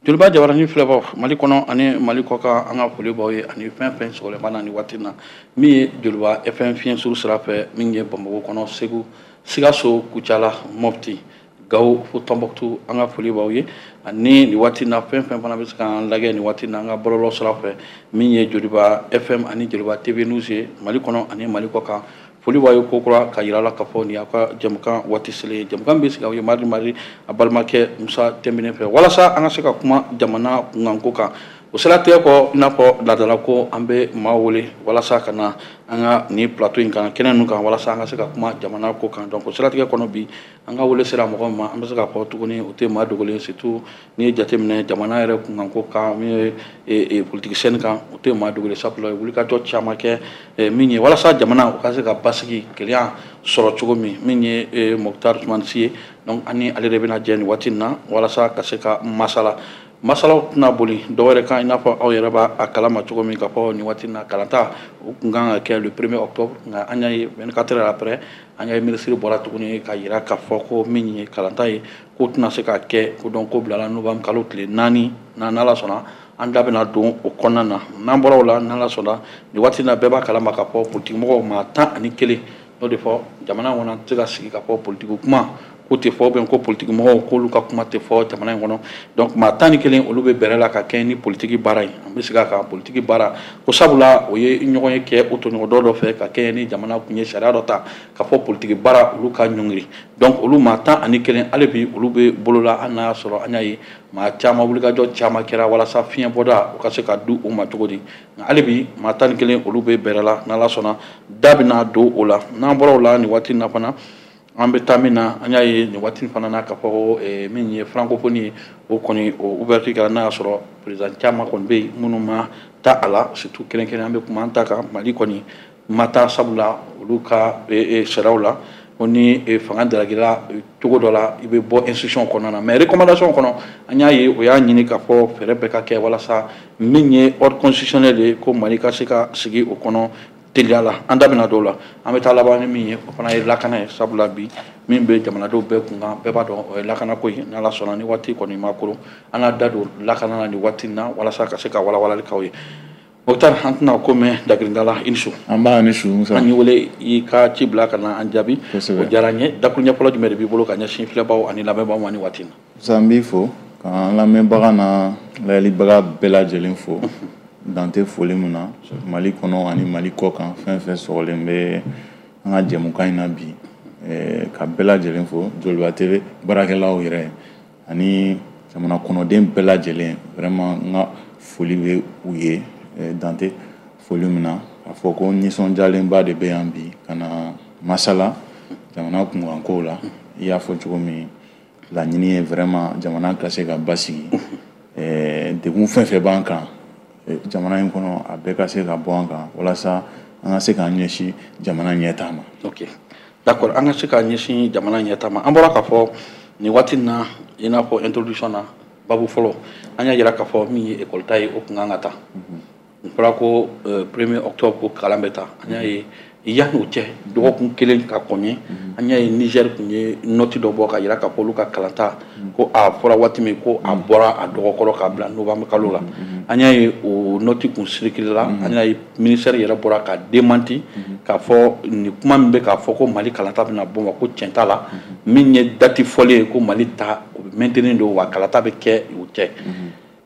Joliba Jabaranin filɛbaw, Mali kɔnɔ ani Mali kɔkan, an ka foli b'aw ye ani fɛn fɛn sɔgɔlen na ni waati na, min ye Joliba FM fiɲɛ suru sira fɛ, min ye Bamakɔ kɔnɔ, Segu, Sikaso, Kucala, Mopti, Gawo fo Tɔnbɔkutu, an ka foli b'aw ye. Ani nin waati na, fɛn fɛn fana bɛ se k'an lajɛ nin waati na an ka bɔlɔlɔ sira fɛ, min ye Joliba FM ani Joliba TV News ye, Mali kɔnɔ ani Mali kɔkan, foli b'aw ye kokura ka yira la k'a fɔ nin y'aw ka jɛmukan waati selen ye. Jɛmukan bɛ sigi aw ye mardi mardi, a balimakɛ Musa Tɛnbinɛ fɛ, walasa an ka se ka kuma jamana kunkanko kan. O siratigɛ kɔ, i n'a fɔ laadala ko, an bɛ maa wele walasa ka na an ka nin plateau in kan, kɛnɛ ninnu kan, walasa an ka se ka kuma jamana ko kan. Donc o siratigɛ kɔnɔ, bi an ka wele sera mɔgɔ ma, an bɛ se k'a fɔ tuguni o tɛ maa dogolen, surtout n'i ye jateminɛ jamana yɛrɛ kunkanko kan, min ye politique scène kan, o tɛ maa dogolen, sabula wulikajɔ caman kɛ min ye walasa jamana o ka se ka basigi, kelenya sɔrɔ cogo min, min ye Moctar Ousmane Sy ye. Donc an ni ale de bɛna jɛ nin waati in na walasa ka se ka masala. Masalaw tɛna boli dɔwɛrɛ kan, i n'a fɔ aw yɛrɛ b'a kalama cogo min k'a fɔ nin waati in na, kalanta o tun kan ka kɛ le 1er octobre, nka an y'a ye 24 heures après, an y'a ye ministre bɔra tuguni ka yira k'a fɔ ko min ye kalanta ye, ko tɛna se ka kɛ, ko donc ko bilala novembre kalo tile 4 na. N'Ala sɔnna, an da bɛna don o kɔnɔna na. N'an bɔra o la, n'Ala sɔnna, nin waati in na, bɛɛ b'a kalama k'a fɔ politique mɔgɔw maa 11 n'o de fɔ jamana in kɔnɔ, an tɛ se ka sigi k'a fɔ politique kuma ko tɛ fɔ, ou ko politique mɔgɔw k'olu ka kuma tɛ fɔ jamana in kɔnɔ. Donc maa 11, olu bɛ bɛrɛ la ka kɛ ni politique baara ye. An bɛ segin a kan, politique baara ko, sabula o ye ɲɔgɔn ye kɛ o tɔɲɔgɔn dɔ dɔ fɛ ka kɛ ni jamana tun ye sariya dɔ ta ka fɔ politique baara olu ka ɲɔngiri. Donc olu maa 11, hali bi olu bɛ bolo la. Hali n'a y'a sɔrɔ an y'a ye maa caman, wulikajɔ caman kɛra walasa fiɲɛ bɔda o ka se ka di u ma cogo di, nka hali bi maa 11, olu bɛ bɛrɛ la. N'Ala sɔnna, da bɛna don o la. N'an bɔra o la, nin waati in na fana, an bɛ taa min na, an y'a ye nin waati fana na k'a fɔ ko min ye francophonie ye, o kɔni o ouverture kɛra, n'a y'a sɔrɔ président caman kɔni bɛ yen minnu ma taa a la, surtout kɛrɛnkɛrɛn an bɛ kuma an ta kan, Mali kɔni ma taa, sabula olu ka sariyaw la ko ni fanga dalagila cogo dɔ la, i bɛ bɔ institution kɔnɔna na. Mais recommandation kɔnɔ, an y'a ye o y'a ɲini k'a fɔ fɛɛrɛ bɛɛ ka kɛ walasa min ye ordre constitutionnel ye, ko Mali ka se ka sigi o kɔnɔ teliya la. An da bɛna dɔw la. An bɛ taa laban ni min ye, o fana ye lakana ye, sabula bi min bɛ jamanadenw bɛɛ kunkan, bɛɛ b'a dɔn o ye lakanako ye. N'Ala sɔnna, ni waati kɔni ma koron, an n'a da don lakana na nin waati in na walasa ka se ka walawalali k'aw ye. Moctar, an tɛna ko mɛn dagirinda la, i ni su. An b'a ni su, Musa. An y'i wele, i ka ci bila ka na an jaabi, o diyara n ye. Dakuruɲɛ fɔlɔ jumɛn de b'i bolo ka ɲɛsin filɛbaw ani lamɛnbaaw ma nin waati in na? Musa, n b'i fo k'an lamɛnbaga n'a layɛlibaga bɛɛ lajɛlen fo, dan tɛ foli min na, Mali kɔnɔ ani Mali kɔ kan, fɛn fɛn sɔgɔlen bɛ an ka jɛmukan in na bi, ka bɛɛ lajɛlen fo, Joliba TV baarakɛlaw yɛrɛ ani jamana kɔnɔden bɛɛ lajɛlen, vraiment n ka foli bɛ u ye, dan tɛ foli min na. K'a fɔ ko nisɔndiyalenba de bɛ yan bi ka na masala jamana kunkankow la. I y'a fɔ cogo min, laɲini ye vraiment jamana ka se ka basigi, degun fɛn fɛn b'an kan jamana in kɔnɔ, a bɛɛ ka se ka bɔ an kan walasa an ka se k'an ɲɛsin jamana ɲɛtaa ma. Ok, d'accord, an ka se k'an ɲɛsin jamana ɲɛtaa ma. An bɔra k'a fɔ nin waati in na, i n'a fɔ introduction na, babu fɔlɔ, an y'a jira k'a fɔ min ye école ta ye, o tun kan ka taa, o fɔra ko 1er octobre ko kalan bɛ taa. An y'a ye yanni o cɛ, dɔgɔkun kelen ka kɔn ɲɛ, an y'a ye Niger tun ye note dɔ bɔ ka jira k'a fɔ olu ka kalanta ko a fɔra waati min ko a bɔra a dɔgɔkɔrɔ k'a bila novembre kalo la. An y'a ye o note kun circulé la, an y'a ye ministère yɛrɛ bɔra ka démenti k'a fɔ nin kuma min bɛ k'a fɔ ko Mali kalanta bɛna bɔ ma, ko tiɲɛ t'a la. Min ye date fɔlen ye ko Mali ta, o bɛ maintenir don, wa kalata bɛ kɛ o cɛ.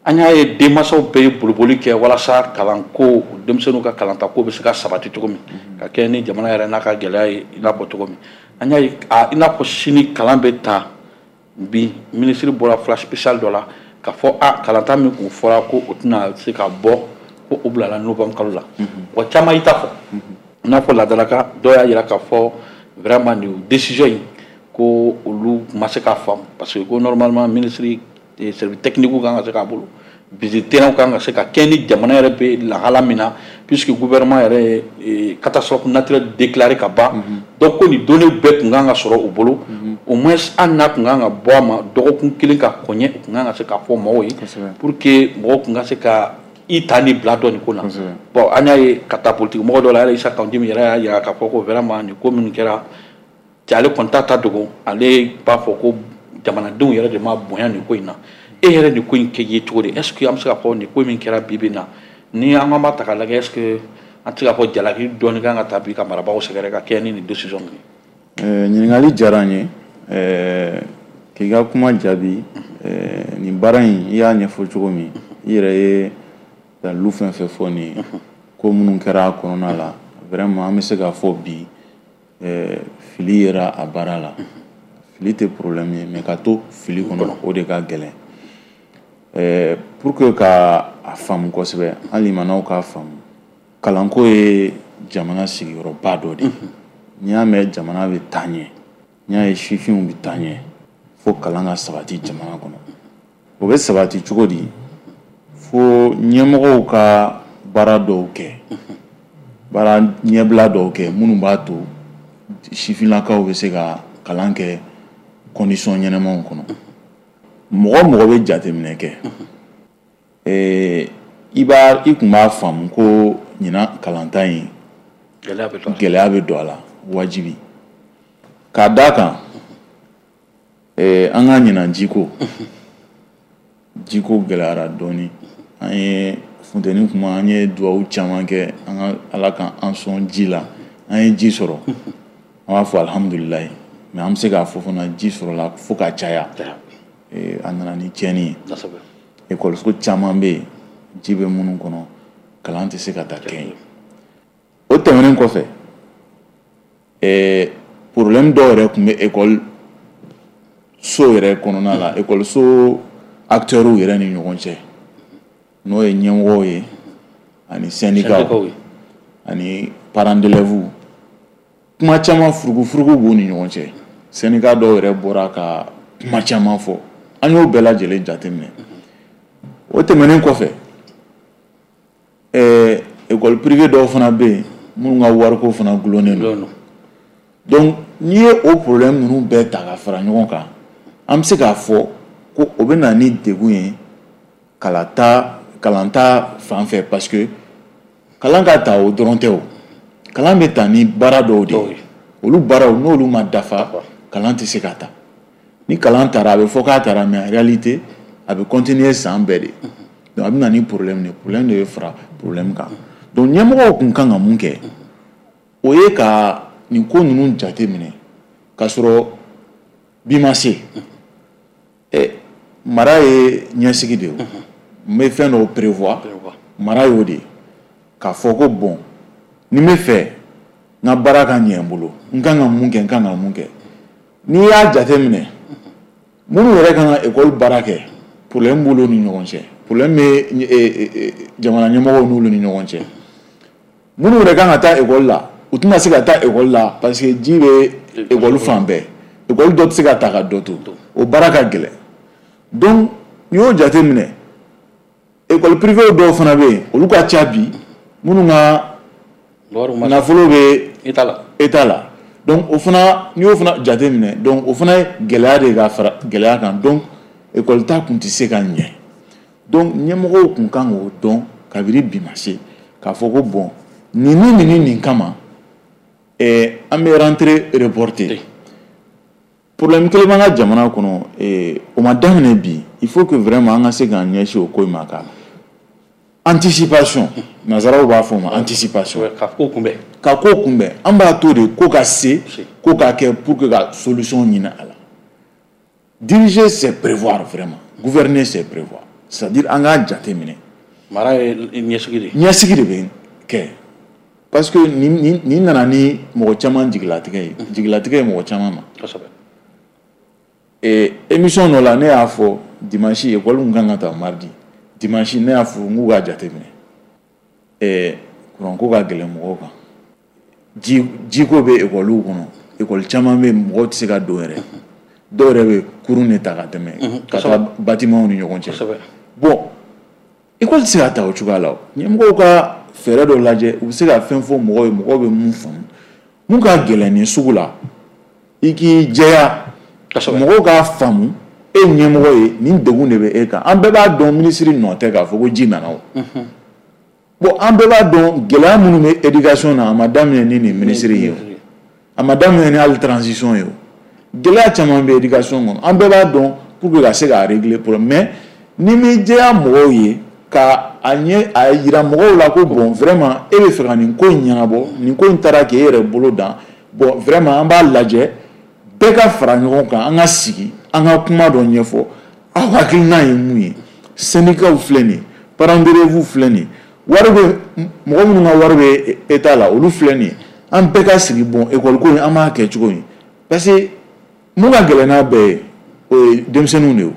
An y'a ye denmansaw bɛɛ ye boliboli kɛ walasa kalanko, denmisɛnninw ka kalanta ko bɛ se ka sabati cogo min, ka kɛ ni jamana yɛrɛ n'a ka gɛlɛya ye. I n'a fɔ cogo min an y'a ye i n'a fɔ sini kalan bɛ ta, bi minisiri bɔra flash spécial dɔ la k'a fɔ a kalanta min kun fɔra ko o tɛna se ka bɔ, ko o bilala novembre kalo la. Wa caman y'i ta fɔ, i n'a fɔ ladalaka dɔw y'a jira k'a fɔ vraiment nin décision in ko olu ma se k'a faamu, parce que ko normalement ministre service technique kan ka se k'a bolo, visite terrain kan ka se ka kɛ ni jamana yɛrɛ bɛ lahala min na, puisque gouvernement yɛrɛ ye catastrophe naturelle déclarée ka ban. Donc ko nin données bɛɛ tun kan ka sɔrɔ u bolo, au moins hali n'a tun kan ka bɔ a ma dɔgɔkun kelen ka kɔn ɲɛ, u tun kan ka se k'a fɔ mɔgɔw ye pour que mɔgɔw tun ka se ka i ta ni bila dɔn nin ko la. Bon, an y'a ye ka taa politique mɔgɔ dɔw la yɛrɛ, Issa Kaou Djim yɛrɛ y'a jira k'a fɔ ko vraiment nin ko minnu kɛra cɛ, ale kɔni t'a ta dogo, ale b'a fɔ ko jamanadenw yɛrɛ de ma bonya nin ko in na. E yɛrɛ nin ko in kɛ ye cogo di? Est ce que an bɛ se k'a fɔ nin ko min kɛra bi bi in na, ni an b'a ta k'a lajɛ, est ce que an tɛ se k'a fɔ jalaki dɔɔni kan ka ta bi ka marabagaw sɛgɛrɛ ka kɛ ni nin décision ninnu ye? Ɲininkali diyara n ye. K'i ka kuma jaabi, nin baara in, i y'a ɲɛfɔ cogo min, i yɛrɛ ye dalilu fɛn fɛn fɔ nin ye, ko minnu kɛra a kɔnɔna la, vraiment an bɛ se k'a fɔ bi fili yera a baara la. Fili tɛ problème ye, mais ka to fili kɔnɔ, o de ka gɛlɛn. Pour que ka a faamu kosɛbɛ, an limanaw k'a faamu, kalanko ye jamana sigiyɔrɔba dɔ de ye. N'i y'a mɛn jamana bɛ taa ɲɛ, n'i y'a ye sifinw bɛ taa ɲɛ, fo kalan ka sabati jamana kɔnɔ. O bɛ sabati cogo di? Fo ɲɛmɔgɔw ka baara dɔw kɛ, baara ɲɛbila dɔw kɛ minnu b'a to sifinnakaw bɛ se ka kalan kɛ condition ɲɛnamaw kɔnɔ. Mɔgɔ mɔgɔ bɛ jateminɛ kɛ, i b'a i tun b'a faamu ko ɲinan kalanta in, gɛlɛya bɛ don a la wajibi, k'a d'a kan an ka ɲinan jiko gɛlɛyara dɔɔni. An ye funteni kuma, an ye duwawu caman kɛ an ka Ala ka an sɔn ji la, an ye ji sɔrɔ, an b'a fɔ alihamudulilayi. Mais an bɛ se k'a fɔ fana, ji sɔrɔla fo ka caya, a nana ni tiɲɛni ye. Ekɔliso caman bɛ yen, ji bɛ minnu kɔnɔ, kalan tɛ se ka taa kɛ yen. O tɛmɛnen kɔfɛ, problème dɔw yɛrɛ tun bɛ ekɔli so yɛrɛ kɔnɔna la, ekɔliso acteurs yɛrɛ ni ɲɔgɔn cɛ, n'o ye ɲɛmɔgɔw ye ani syndicats ani parents d'élèves. Kuma caman, furugufurugu b'u ni ɲɔgɔn cɛ. Syndicat dɔw yɛrɛ bɔra ka kuma caman fɔ, an y'o bɛɛ lajɛlen jateminɛ. O tɛmɛnen kɔfɛ, école privée dɔw fana bɛ yen minnu ka wariko fana gulonnen don. Donc n'i ye o problème ninnu bɛɛ ta ka fara ɲɔgɔn kan, an bɛ se k'a fɔ ko o bɛ na ni degun ye kalanta fan fɛ, parce que kalan ka ta o dɔrɔn tɛ, o kalan bɛ ta ni baara dɔw de ye. Olu baaraw, n'olu ma dafa, kalan tɛ se ka ta. Ni kalan taara, a bɛ fɔ k'a taara, mais en réalité a bɛ continuer san bɛɛ de. Donc a bɛ na ni problème de, problème de bɛ fara problème kan. Donc ɲɛmɔgɔw kun kan ka mun kɛ? O ye ka nin ko ninnu jate minɛ k'a sɔrɔ bi ma se. Mara ye ɲɛsigi de ye, n bɛ fɛn dɔw prévoir. Mara y'o de ye, k'a fɔ ko bon, ni n bɛ fɛ n ka baara ka ɲɛ n bolo, n kan ka mun kɛ, n kan ka mun kɛ? N'i y'a jate minɛ, minnu yɛrɛ kan ka ekɔli baara kɛ, problème b'olu ni ɲɔgɔn cɛ, problème bɛ jamana ɲɛmɔgɔw n'olu ni ɲɔgɔn cɛ. Minnu yɛrɛ kan ka taa ekɔli la, u tɛna se ka taa ekɔli la, parce que ji bɛ ekɔli fan bɛɛ, ekɔli dɔ tɛ se ka ta ka dɔ to, o baara ka gɛlɛn. Donc n'i y'o jate minɛ, école privée dɔw fana bɛ yen, olu ka ca bi, minnu ka nafolo bɛ état la. Donc o fana, n'i y'o fana jate minɛ, donc o fana ye gɛlɛya de ka fara gɛlɛya kan. Donc école ta kun tɛ se ka ɲɛ. Donc ɲɛmɔgɔw kun kan k'o dɔn kabini bi ma se, k'a fɔ ko bon, nin ni nin ni nin kama, an bɛ rentrée reporter. Problème kelen b'an ka jamana kɔnɔ, o ma daminɛ bi. Il faut que vraiment an ka se k'an ɲɛsin o ko in ma, ka anticipation, nanzaraw b'a fɔ o ma anticipation. Ka ko kunbɛn. Ka ko kunbɛn. An b'a to de ko ka se ko ka kɛ pour que ka solution ɲini a la. Diriger, c'est prévoir. Vraiment, gouverner, c'est prévoir, c'est-à-dire an k'a jate minɛ. Mara ye ɲɛsigi de. Ɲɛsigi de bɛ kɛ, parce que nin nana ni mɔgɔ caman jigilatigɛ ye, jigilatigɛ ye mɔgɔ caman ma. Émission dɔ la, ne y'a fɔ dimanche, école kun kan ka ta mardi, dimanche ne y'a fɔ n k'u k'a jateminɛ, kuranko ka gɛlɛn mɔgɔw kan, jiko bɛ ekɔliw kɔnɔ, ekɔli caman bɛ yen, mɔgɔw tɛ se ka don yɛrɛ, dɔw yɛrɛ bɛ kurun de ta ka tɛmɛ ka taa bâtiment ni ɲɔgɔn cɛ. Bon, ekɔli tɛ se ka ta o cogoya la. O ɲɛmɔgɔw ka fɛɛrɛ dɔ lajɛ, u bɛ se ka fɛn fɔ mɔgɔw ye, mɔgɔw bɛ mun faamu. Mun ka gɛlɛn nin sugu la, i k'i jɛya, mɔgɔw k'a faamu e ɲɛmɔgɔ ye, nin degun de bɛ e kan. An bɛɛ b'a dɔn minisiri nɔ tɛ k'a fɔ ko ji nana o. Bon, an bɛɛ b'a dɔn gɛlɛya minnu bɛ éducation na, a ma daminɛ ni nin minisiri ye o, a ma daminɛ ni hali transition ye o. Gɛlɛya caman bɛ éducation kɔnɔ, an bɛɛ b'a dɔn. Pour que ka se k'a régler problème, mais Ni m'i jɛya mɔgɔw ye ka a ɲɛ a yira mɔgɔw la ko bon, vraiment, e bɛ fɛ ka nin ko in ɲɛnabɔ, nin ko in taara k'e yɛrɛ bolo dan, bon, vraiment, an b'a lajɛ, bɛɛ ka fara ɲɔgɔn kan, an ka sigi, an ka kuma dɔ ɲɛfɔ, aw hakilina ye mun ye? Syndicats filɛ nin ye, parents d'élèves filɛ nin ye, wari bɛ mɔgɔ minnu ka wari bɛ état la, olu filɛ nin ye, an bɛɛ ka sigi, bon, école ko in, an b'a kɛ cogo min, parce que mun ka gɛlɛn n'a bɛɛ ye, o ye denmisɛnninw de ye.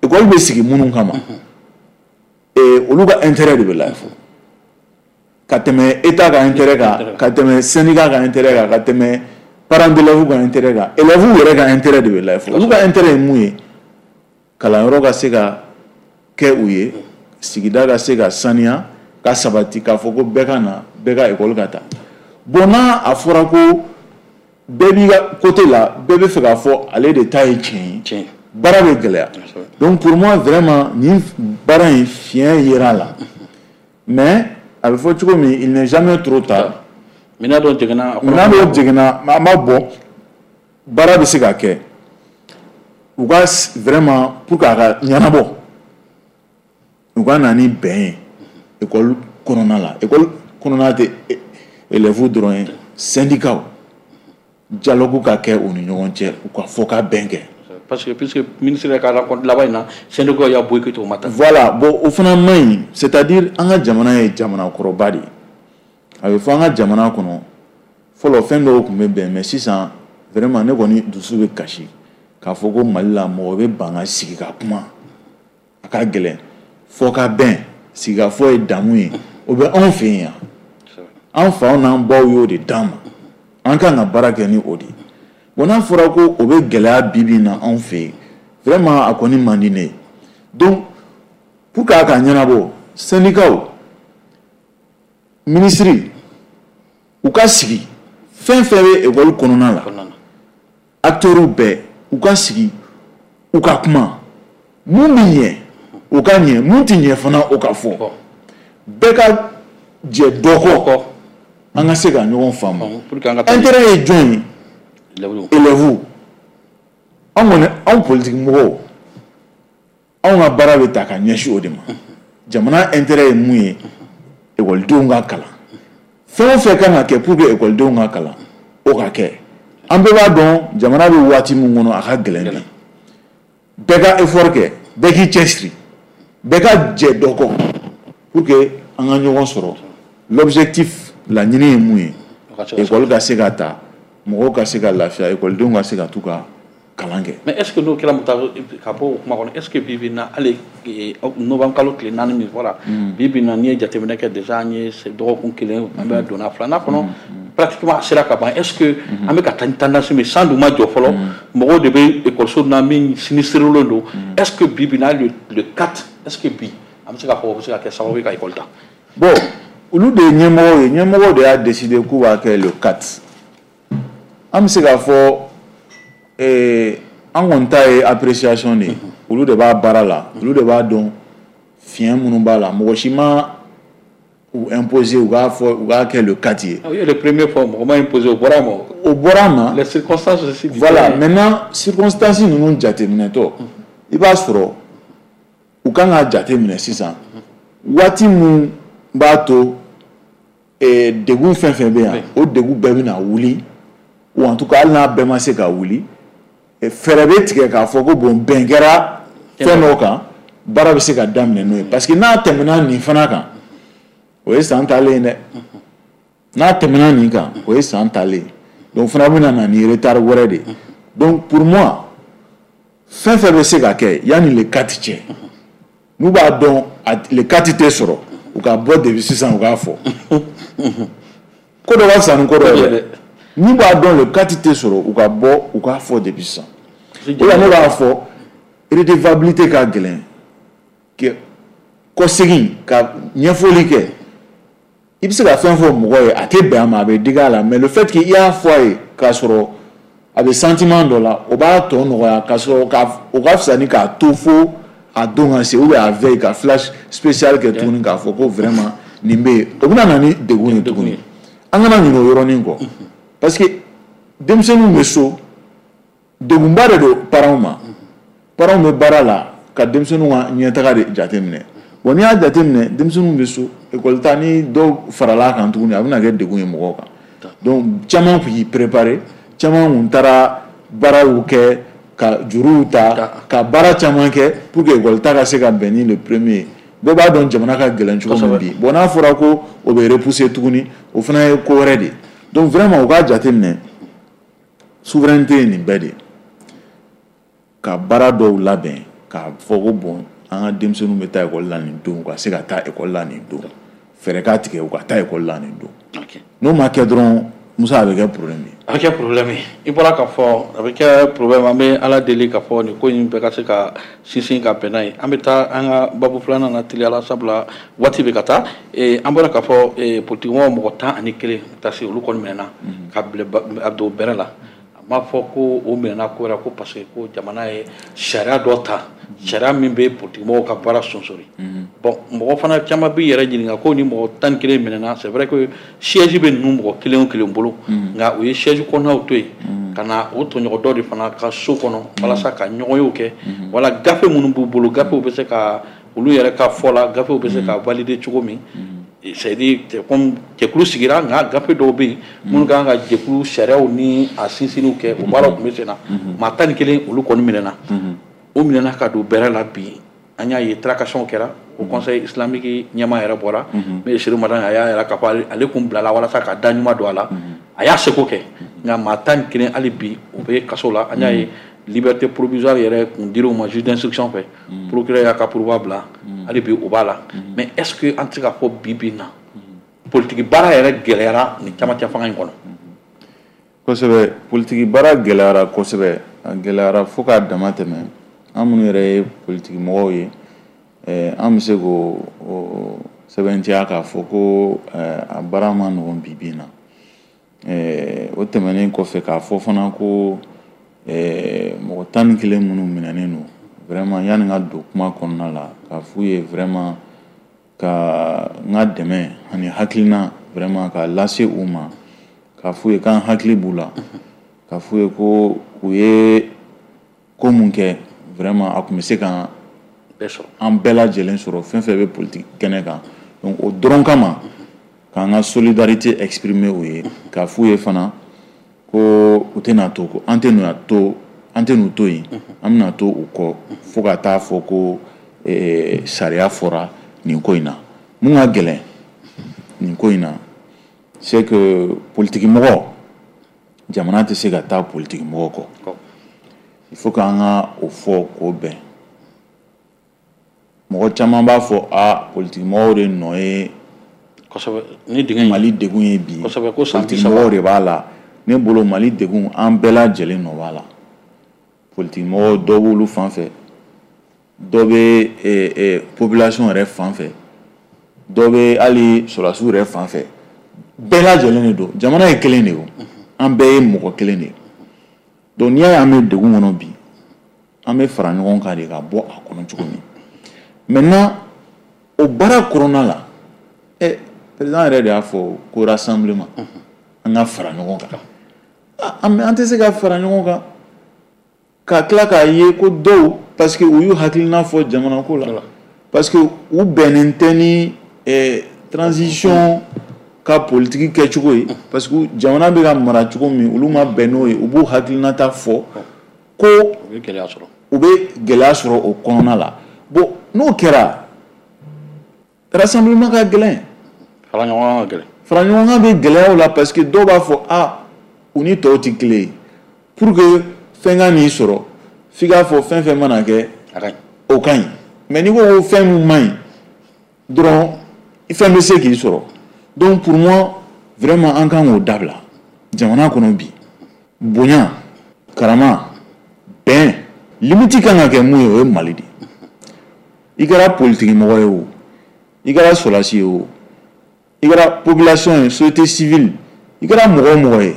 École bɛ sigi minnu kama, olu ka intérêt de bɛ lajɛ ka tɛmɛ état ka intérêt kan, ka tɛmɛ syndicat ka intérêt kan, ka tɛmɛ parents d'élèves ka intérêt kan. Élèves yɛrɛ ka intérêt de bɛ lajɛ. Olu ka intérêt ye mun ye? Kalanyɔrɔ ka se ka kɛ u ye, sigida ka se ka saniya ka sabati, k'a fɔ ko bɛɛ ka na, bɛɛ ka école ka taa. Bon, n'a a fɔra ko bɛɛ b'i ka côté la, bɛɛ bɛ fɛ k'a fɔ ale de ta ye tiɲɛ ye, baara bɛ gɛlɛya. Donc pour moi, vraiment, nin baara in, fiɲɛ yera a la, mais a bɛ fɔ cogo min, il n'est jamais trop tard. Minɛn dɔ jiginna. Minɛn dɔw jiginna, an b'a bɔ, baara bɛ se ka kɛ. U ka vraiment, pour que a ka ɲɛnabɔ, u ka na ni bɛn ye école kɔnɔna la. École kɔnɔna tɛ élèves dɔrɔn ye, syndicats, dialogue ka kɛ u ni ɲɔgɔn cɛ, u ka fɔ ka bɛn kɛ. Parce que puisque ministre yɛrɛ ka rencontre laban in na, syndicat y'a boycotté, o ma taa. Voilà, bon, o fana man ɲi. C'est à dire, an ka jamana ye jamana kɔrɔba de ye. A bɛ fɔ an ka jamana kɔnɔ, fɔlɔ fɛn dɔw tun bɛ bɛn, mais sisan, vraiment, ne kɔni dusu bɛ kasi k'a fɔ ko Mali la, mɔgɔ bɛ ban ka sigi ka kuma, a ka gɛlɛn. Fɔ ka bɛn, sigikafɔ ye damu ye, o bɛ anw fɛ yen yan. An faw n'an baw y'o de d'an ma, an kan ka baara kɛ ni o de ye. Bon, n'a fɔra ko o bɛ gɛlɛya bi bi in na anw fɛ yen, vraiment, a kɔni man di ne ye. Donc pour que a ka ɲɛnabɔ, syndicats, ministre, u ka sigi, fɛn fɛn bɛ école kɔnɔna la, acteurs bɛɛ u ka sigi, u ka kuma, mun bɛ ɲɛ, o ka ɲɛ, mun tɛ ɲɛ fana, o ka fɔ, bɛɛ ka jɛ dɔ kɔ, an ka se ka ɲɔgɔn faamu. Intérêt ye jɔn ye? Élèves. Anw kɔni, anw politique mɔgɔw, anw ka baara bɛ ta ka ɲɛsin o de ma. Jamana intérêt ye mun ye? Ekɔlidenw ka kalan. Fɛn o fɛn kan ka kɛ pour que ekɔlidenw ka kalan, o ka kɛ. An bɛɛ b'a dɔn jamana bɛ waati min kɔnɔ, a ka gɛlɛn bi. Bɛɛ ka effort kɛ, bɛɛ k'i cɛsiri, bɛɛ ka jɛ dɔ kɔ pour que an ka ɲɔgɔn sɔrɔ. L'objectif, laɲini ye mun ye? École ka se ka ta, mɔgɔw ka se ka lafiya, ekɔlidenw ka se ka t'u ka kalan kɛ. Mais est ce que n'o kɛra, ka bɔ o kuma kɔnɔ, est ce que bi bi in na, hali novembre kalo tile 4 min fɔra, bi bi in na, n'i ye jateminɛ kɛ, déjà an ye dɔgɔkun kelen, an bɛ donna filanan kɔnɔ, pratiquement a sera ka ban, est ce que an bɛ ka taa ni tendance min, san dun ma jɔ fɔlɔ, mɔgɔw de bɛ ekɔliso na min sinistrelen don, est ce que bi bi in na, hali le 4, est ce que bi an bɛ se k'a fɔ o bɛ se ka kɛ sababu ye ka école ta? Bon, olu de ye ɲɛmɔgɔw ye, ɲɛmɔgɔw de y'a décider k'u b'a kɛ le 4. An bɛ se k'a fɔ an kɔni ta ye appréciation de ye. Olu de b'a baara la, olu de b'a dɔn fiɲɛ minnu b'a la. Mɔgɔ si ma u imposer u k'a fɔ u k'a kɛ le 4 ye. O ye le premier fois, mɔgɔ ma imposer, o bɔra a ma. O bɔra a ma. Les circonstances aussi. Voilà, maintenant, circonstances ninnu jateminɛtɔ, i b'a sɔrɔ u kan k'a jateminɛ sisan waati mun b'a to degun fɛn fɛn bɛ yan, o degun bɛɛ bɛna wuli, ou en tout cas, hali n'a bɛɛ ma se ka wuli, fɛɛrɛ bɛ tigɛ k'a fɔ ko bon, bɛn kɛra fɛn dɔw kan, baara bɛ se ka daminɛ n'o ye. Parce que n'a tɛmɛna nin fana kan, o ye san talen ye dɛ. N'a tɛmɛna nin kan, o ye san talen ye. Donc o fana bɛna na ni retard wɛrɛ de ye. Donc pour moi, fɛn fɛn bɛ se ka kɛ yanni le 4 cɛ, n'u b'a dɔn le 4 tɛ sɔrɔ, u ka bɔ depuis sisan, u k'a fɔ. Ko dɔ ka fisa ni ko dɔ ye dɛ. N'u b'a dɔn le 4 tɛ sɔrɔ, u ka bɔ, u k'a fɔ depuis sisan. O la ne b'a fɔ, redevabilité ka gɛlɛn kɔsegin ka ɲɛfɔli kɛ. I bɛ se ka fɛn fɔ mɔgɔ ye, a tɛ bɛn a ma, a bɛ digi a la, mais le fait que i y'a fɔ a ye k'a sɔrɔ a bɛ sentiment dɔ la, o b'a tɔ nɔgɔya, k'a sɔrɔ ka o ka fisa ni k'a to fo a don ka se, ou bien a veille, ka flash spécial kɛ tuguni k'a fɔ ko vraiment nin bɛ yen, o bɛna na ni degun ye tuguni. An kana ɲinɛ o yɔrɔnin kɔ, parce que denmisɛnninw bɛ so, degunba de don parents ma. Parents bɛ baara la. ka denmisɛnninw ka ɲɛtaga de jateminɛ. Bon, n'i y'a jateminɛ, denmisɛnninw bɛ so, école ta ni dɔw farala kan tuguni, a bɛna kɛ degun ye mɔgɔw kan. Donc caman tun y'i préparer, caman tun taara baaraw kɛ, ka juruw ta, ka baara caman kɛ pour que école ta ka se ka bɛn ni le premier. Bɛɛ b'a dɔn jamana ka gɛlɛn cogo min bi. Bon, n'a fɔra ko o bɛ repousser tuguni, o fana ye ko wɛrɛ de ye. Donc vraiment, u k'a jateminɛ, souveraineté ye nin bɛɛ de ye, ka baara dɔw labɛn k'a fɔ ko bon, an ka denmisɛnninw bɛ taa ekɔli la nin don, u ka se ka taa ekɔli la nin don, fɛɛrɛ ka tigɛ u ka taa ekɔli la nin don. N'o ma kɛ dɔrɔn, Musa, a bɛ kɛ problème ye. A bɛ kɛ problème ye. I bɔra k'a fɔ a bɛ kɛ problème. An bɛ Ala deli k'a fɔ nin ko in bɛɛ ka se ka sinsin ka bɛn n'a ye. An bɛ taa an ka babu filanan na teliya la, sabula waati bɛ ka taa. An bɔra k'a fɔ politikimɔgɔw mɔgɔ 11 ta se, olu kɔni minɛna ka bila a don bɛrɛ la. A m'a fɔ ko o minɛna ko wɛrɛ ko parce que ko jamana ye sariya dɔ ta, sariya min bɛ politikimɔgɔw ka baara sonsori. Bon, mɔgɔ fana caman b'i yɛrɛ ɲininka ko ni mɔgɔ 11 minɛna, c'est vrai que siège bɛ ninnu mɔgɔ kelen o kelen bolo, nka u ye siège kɔnɔnaw to yen ka na o tɔɲɔgɔn dɔ de fana ka so kɔnɔ walasa ka ɲɔgɔnyew kɛ, wala gafe minnu b'u bolo, gafew bɛ se ka olu yɛrɛ ka fɔ la, gafew bɛ se ka valider cogo min. C'est à dire, comme jɛkulu sigira, nka gafe dɔw bɛ yen minnu kan ka jɛkulu sariyaw ni a sinsinniw kɛ, o baaraw tun bɛ sen na. Maa 11, olu kɔni minɛna, o minɛna ka don bɛrɛ la. Bi an y'a ye tractation kɛra o Conseil islamique ɲɛmaa yɛrɛ bɔra, n'o ye Seydou Madani. A y'a yira k'a fɔ ale kun bilala walasa ka da ɲuman don a la, a y'a seko kɛ, nka maa 11, hali bi u bɛ kaso la. An y'a ye liberté provisoire yɛrɛ kun dir'u ma juge d'instruction fɛ, procureur y'a ka pourvoi bila, hali bi o b'a la. Mais est ce que an tɛ se k'a fɔ bi bi in na politiki baara yɛrɛ gɛlɛyara nin camancɛ fanga in kɔnɔ? Kosɛbɛ, politiki baara gɛlɛyara kosɛbɛ, a gɛlɛyara fo k'a dama tɛmɛ. An minnu yɛrɛ ye politiki mɔgɔw ye, an bɛ se k'o sɛbɛntiya k'a fɔ ko a baara ma nɔgɔn bi bi in na. O tɛmɛnen kɔfɛ, k'a fɔ fana ko mɔgɔ 11 minnu minɛnen don, vraiment, yanni n ka don kuma kɔnɔna la, k'a f'u ye vraiment ka n ka dɛmɛ ani hakilina vraiment k'a lase u ma, k'a f'u ye k'an hakili b'u la, k'a f'u ye ko u ye ko mun kɛ, vraiment, a tun bɛ se ka an bɛɛ lajɛlen sɔrɔ, fɛn fɛn bɛ politique kɛnɛ kan. Donc o dɔrɔn kama, k'an ka solidarité exprimer u ye, k'a f'u ye fana ko u tɛna to, ko an tɛ to, an tɛ n'u to yen, an bɛna to u kɔ fo ka taa fɔ ko sariya fɔra nin ko in na. Mun ka gɛlɛn nin ko in na, c'est que politique mɔgɔ, jamana tɛ se ka taa politique mɔgɔ kɔ. Il faut k'an ka o fɔ k'o bɛn. Mɔgɔ caman b'a fɔ a politique mɔgɔw de nɔ ye kosɛbɛ ni dingɛ. Mali degun ye bi. Kosɛbɛ, ko san politique mɔgɔw de b'a la. Ne bolo, Mali degun, an bɛɛ lajɛlen nɔ b'a la. Politique mɔgɔw dɔw b'olu fan fɛ, dɔ bɛ population yɛrɛ fan fɛ, dɔ bɛ hali sɔrɔdasiw yɛrɛ fan fɛ. Bɛɛ lajɛlen de don. Jamana ye kelen de ye o, an bɛɛ ye mɔgɔ kelen de ye. Donc n'i y'a ye an bɛ degun kɔnɔ bi, an bɛ fara ɲɔgɔn kan de ka bɔ a kɔnɔ cogo min. Maintenant, o baara kɔnɔna la, président yɛrɛ de y'a fɔ ko rassemblement, an ka fara ɲɔgɔn kan. An tɛ se ka fara ɲɔgɔn kan ka tila k'a ye ko dɔw, parce que u y'u hakilina fɔ jamana ko la, parce que u bɛnnen tɛ ni transition ka politique kɛcogo ye, parce que jamana bɛ ka mara cogo min, olu ma bɛn n'o ye, u b'u hakilinata fɔ ko u bɛ gɛlɛya sɔrɔ. U bɛ gɛlɛya sɔrɔ o kɔnɔna la. Bon, n'o kɛra, rassemblement ka gɛlɛn. Fara ɲɔgɔn kan ka gɛlɛn. Fara ɲɔgɔn kan bɛ gɛlɛya o la, parce que dɔw b'a fɔ a u ni tɔw tɛ kelen ye. Pour que fɛn ka n'i sɔrɔ, f'i k'a fɔ fɛn fɛn mana kɛ a ka ɲi, o ka ɲi. Mais n'i ko ko fɛn min man ɲi dɔrɔn, fɛn bɛ se k'i sɔrɔ. Donc pour moi, vraiment, an kan k'o dabila jamana kɔnɔ bi. Bonya, karama, bɛn, limite kan ka kɛ mun ye, o ye Mali de ye. I kɛra politiki mɔgɔ ye o, i kɛra sɔrɔdasi ye o, i kɛra population ye, société civile, i kɛra mɔgɔ o mɔgɔ ye,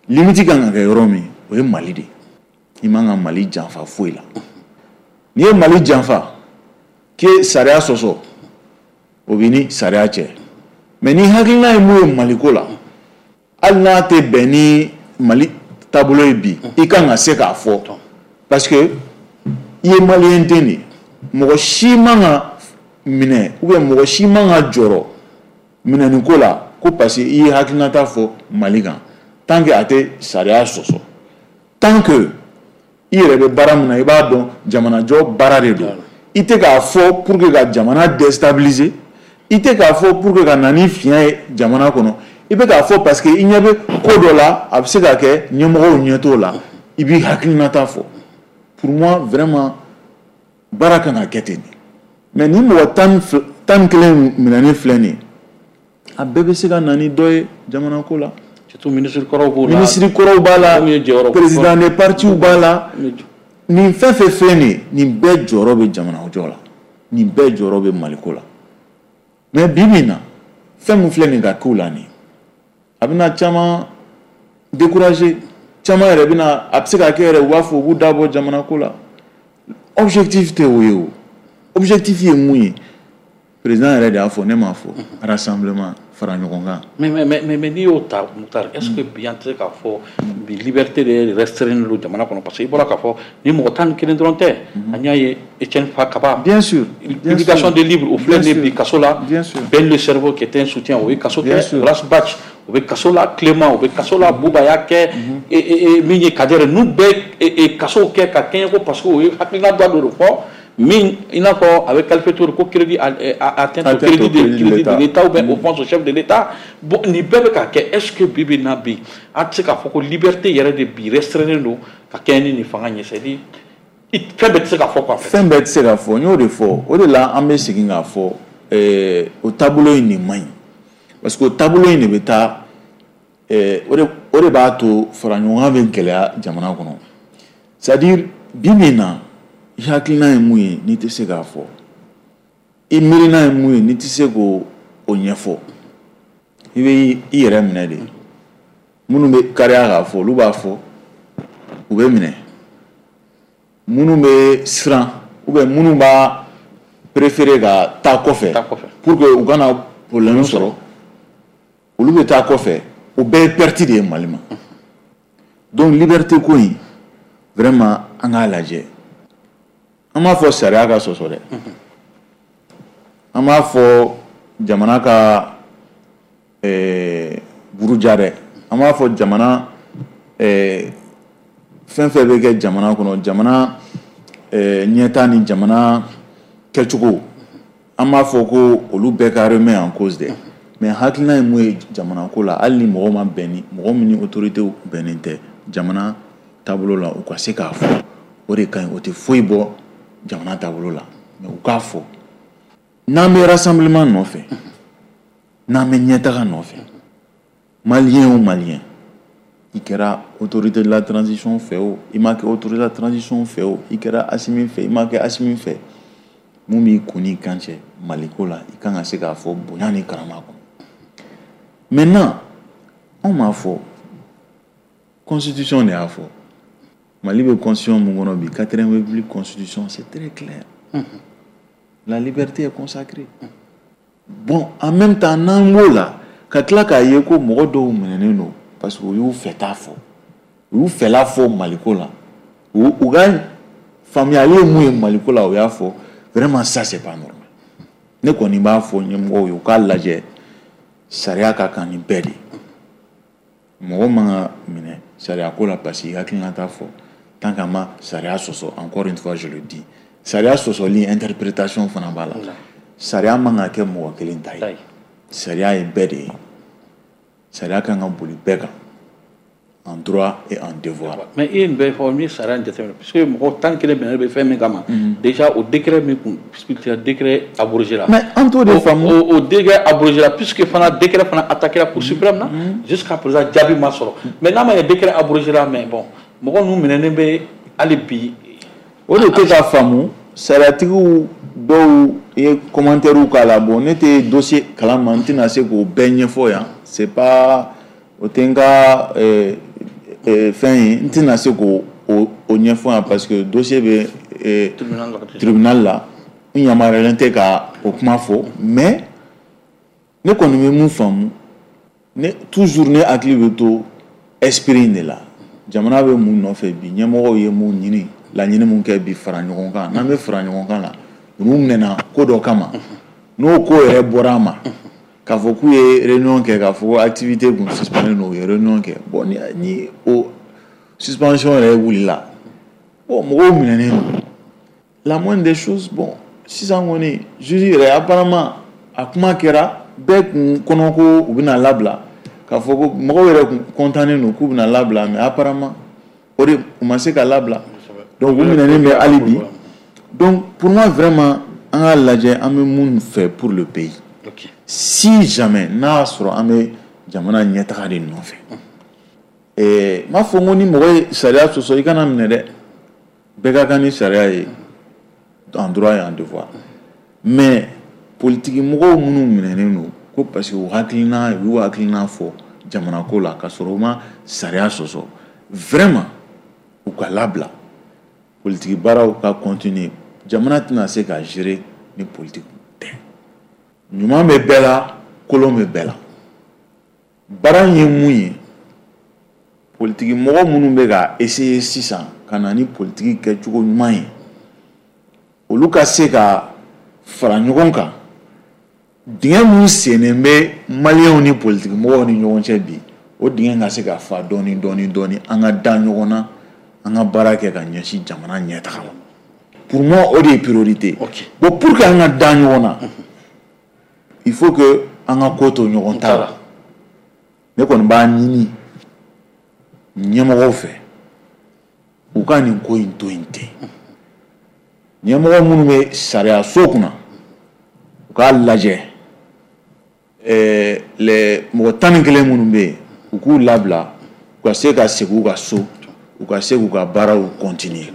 limite kan ka kɛ yɔrɔ min, o ye Mali de ye. I man ka Mali janfa foyi la. N'i ye Mali janfa k'e sariya sɔsɔ, o b'i ni sariya cɛ. Mais ni hakilina ye mun ye Maliko la, hali n'a tɛ bɛn ni Mali taabolo ye bi, i kan ka se k'a fɔ, parce que i ye maliyɛn den de ye. Mɔgɔ si man ka minɛ ou bien mɔgɔ si man ka jɔrɔ minɛni ko la ko parce que i ye hakilinata fɔ Mali kan, tant que a tɛ sariya sɔsɔ, tant que i yɛrɛ bɛ baara min na, i b'a dɔn jamanajɔ baara de don. I tɛ k'a fɔ pour que ka jamana déstabiliser, i tɛ k'a fɔ pour que ka na ni fiɲɛ ye jamana kɔnɔ, i bɛ k'a fɔ parce que i ɲɛ bɛ ko dɔ la, a bɛ se ka kɛ ɲɛmɔgɔw ɲɛ t'o la, i b'i hakilinata fɔ. Pour moi, vraiment, baara kan ka kɛ ten de. Mais ni mɔgɔ 11 minɛni filɛ nin ye, a bɛɛ bɛ se ka na ni dɔ ye jamana ko la. Surtout ministre kɔrɔw b'o la. Ministre kɔrɔw b'a la, président de parti b'a la. Nin fɛn fɛn filɛ nin ye, nin bɛɛ jɔyɔrɔ bɛ jamana jɔ la, nin bɛɛ jɔyɔrɔ bɛ Maliko la. Mais bi bi in na, fɛn min filɛ nin ka k'u la nin, a bɛna caman décourager, caman yɛrɛ bɛna, a bɛ se ka kɛ yɛrɛ u b'a fɔ u b'u da bɔ jamana ko la. Objectif tɛ o ye o. Objectif ye mun ye? Président yɛrɛ de y'a fɔ, ne m'a fɔ, rassemblement, fara ɲɔgɔn kan. Mais n'i y'o ta, Moctar, est ce que bi an tɛ se k'a fɔ bi liberté de restreint don jamana kɔnɔ? Parce que i bɔra k'a fɔ ni mɔgɔ 11 dɔrɔn tɛ, an y'a ye Etienne Fakaba. Bien sûr. Publication de livres, o filɛ nin ye bi kaso la. Bien sûr. Ben le cerveau qui était un soutien, o ye kaso kɛ. Ras Bath, o bɛ kaso la. Clément, o bɛ kaso la. Bouba y'a kɛ, min ye Kader, ninnu bɛɛ kaso kɛ ka kɛɲɛ ko parce que o ye hakilina dɔ de fɔ min i n'a fɔ a bɛ qualifié cogo ko crédit, atteinte au crédit de l'État ou bien offense au chef de l'État. Bon, nin bɛɛ bɛ ka kɛ. Est ce que bi bi in na bi an tɛ se k'a fɔ ko liberté yɛrɛ de bi restreint don ka kɛɲɛ ni nin fanga in ye? C'est à dire fɛn bɛɛ tɛ se ka fɔ quoi. Fɛn bɛɛ tɛ se ka fɔ, n y'o de fɔ. O de la an bɛ segin k'a fɔ, o taabolo in de man ɲi, parce que o taabolo in de bɛ taa, o de b'a to fara ɲɔgɔn kan bɛ gɛlɛya jamana kɔnɔ. C'est à dire bi bi in na, i hakilina ye mun ye n'i tɛ se k'a fɔ, i miirina ye mun ye n'i tɛ se k'o ɲɛfɔ, i bɛ i yɛrɛ minɛ de. Minnu bɛ kariya k'a fɔ, olu b'a fɔ, u bɛ minɛ. Minnu bɛ siran ou bien minnu b'a préférer ka taa kɔfɛ pour que u kana problème sɔrɔ, olu bɛ taa kɔfɛ. O bɛɛ ye perte de ye Mali ma. Donc liberté ko in, vraiment, an k'a lajɛ. An b'a fɔ sariya ka sɔsɔ dɛ, an b'a fɔ jamana ka buruja dɛ, an b'a fɔ jamana fɛn fɛn bɛ kɛ jamana kɔnɔ, jamana ɲɛta ni jamana kɛcogo, an b'a fɔ ko olu bɛɛ ka remet en cause dɛ. Mais hakilina ye mun ye jamana ko la, hali ni mɔgɔ ma bɛn ni mɔgɔ min ni autorité bɛnnen tɛ jamana taabolo la, u ka se k'a fɔ, o de ka ɲi. O tɛ foyi bɔ jamana taabolo la, mais u k'a fɔ. N'an bɛ rassemblement nɔfɛ, n'an bɛ ɲɛtaga nɔfɛ, Malien o Malien, i kɛra autorité de la transition fɛ o, i ma kɛ autorité de la transition fɛ o, i kɛra Assimi fɛ, i ma kɛ Assimi fɛ, mun b'i kun n'i kan cɛ Maliko la, i kan ka se k'a fɔ bonya ni karama kɔnɔ. Maintenant, anw m'a fɔ, constitution de y'a fɔ. Mali bɛ constitution mun kɔnɔ bi, 4e république constitution, c'est très clair. La liberté est consacrée. Bon, en même temps, n'an b'o la, ka tila k'a ye ko mɔgɔ dɔw minɛnen don parce que u y'u fɛta fɔ, u y'u fɛla fɔ Maliko la, u ka faamuyali ye mun ye Maliko la, u y'a fɔ. Vraiment, ça c'est pas normal. Ne kɔni b'a fɔ ɲɛmɔgɔw ye, u k'a lajɛ, sariya ka kan ni bɛɛ de ye. Mɔgɔ man ka minɛ sariya ko la parce que i hakilina t'a fɔ, tant qu'an ma sariya sɔsɔ. Encore une fois, je le dis, sariya sɔsɔli, interprétation fana b'a la. Sariya man ka kɛ mɔgɔ kelen ta ye, sariya ye bɛɛ de ye. Sariya kan ka boli bɛɛ kan, en droit et en devoir. Mais i ye nin bɛɛ fɔ, n ye sariya in jateminɛ, puisque mɔgɔ 11 minɛnen bɛ fɛn min kama, déjà o décret min kun, puisque décret abrogé la. Mais an t'o de faamu. O décret abrogé la, puisque fana décret fana attaqué la Cour suprême na, jusqu'à présent jaabi ma sɔrɔ. Mais n'a ma ɲɛ décret abrogé la, mais bon, mɔgɔ ninnu minɛnen bɛ hali bi. O de tɛ ka faamu. Sariyatigiw dɔw ye commentaire k'a la. Bon, ne tɛ dossier kalama, n tɛna se k'o bɛɛ ɲɛfɔ yan, c'est pas o tɛ n ka fɛn ye, n tɛna se k'o o ɲɛfɔ yan parce que dossier bɛ tribunal la, n yamaruyalen tɛ ka o kuma fɔ. Mais ne kɔni bɛ mun faamu, ne toujours ne hakili bɛ to esprit in de la. Jamana bɛ mun nɔfɛ bi? Ɲɛmɔgɔw ye mun ɲini, laɲini mun kɛ bi? Fara ɲɔgɔn kan. N'an bɛ fara ɲɔgɔn kan la, Ninnu minɛna ko dɔ kama, n'o ko yɛrɛ bɔra a ma k'a fɔ k'u ye réunion kɛ, k'a fɔ ko activité kun suspendue don, u ye réunion kɛ. Bon, ni o suspension yɛrɛ wulila, bon, mɔgɔw minɛnen don, la moindre des choses. Bon, sisan kɔni, juge yɛrɛ, apparemment a kuma kɛra bɛɛ kun kɔnɔ ko u bɛna labila, k'a fɔ ko mɔgɔw yɛrɛ kun content don k'u bɛna labila, mais apparemment o de u ma se ka labila. Donc u minɛnen bɛ hali bi. Donc pour moi, vraiment, an k'a lajɛ an bɛ mun fɛ pour le pays. Si jamais n'a y'a sɔrɔ an bɛ jamana ɲɛtaga de nɔfɛ, n m'a fɔ n ko ni mɔgɔ ye sariya sɔsɔ, i kana minɛ dɛ. Bɛɛ ka kan ni sariya ye, en droit et en devoir. Mais politiki mɔgɔw minnu minɛnen don ko parce que u hakilina, u y'u hakilina fɔ jamana ko la ka sɔrɔ u ma sariya sɔsɔ, vraiment u ka labila, politiki baaraw ka continuer. Jamana tɛna se ka gérer ni politiki tɛ. Ɲuman bɛ bɛɛ la, kolon bɛ bɛɛ la. Baara in ye mun ye? Politiki mɔgɔ minnu bɛ ka essayer sisan ka na ni politiki kɛcogo ɲuman ye, olu ka se ka fara ɲɔgɔn kan. Dingɛ min sennen bɛ maliyɛnw ni politiki mɔgɔw ni ɲɔgɔn cɛ bi, o dingɛ ka se ka fa dɔɔni dɔɔni dɔɔni, an ka da ɲɔgɔn na, an ka baara kɛ ka ɲɛsin jamana ɲɛtaga ma. Pour moi, o de ye priorité. Bon, pour que an ka da ɲɔgɔn na, il faut que an ka ko to ɲɔgɔn ta la. Ne kɔni b'a ɲini ɲɛmɔgɔw fɛ, u ka nin ko in to yen ten. Ɲɛmɔgɔ minnu bɛ sariya so kunna, u k'a lajɛ, les mɔgɔ 11 minnu bɛ yen, u k'u labila, u ka se ka segin u ka so, u ka se k'u ka baaraw continuer.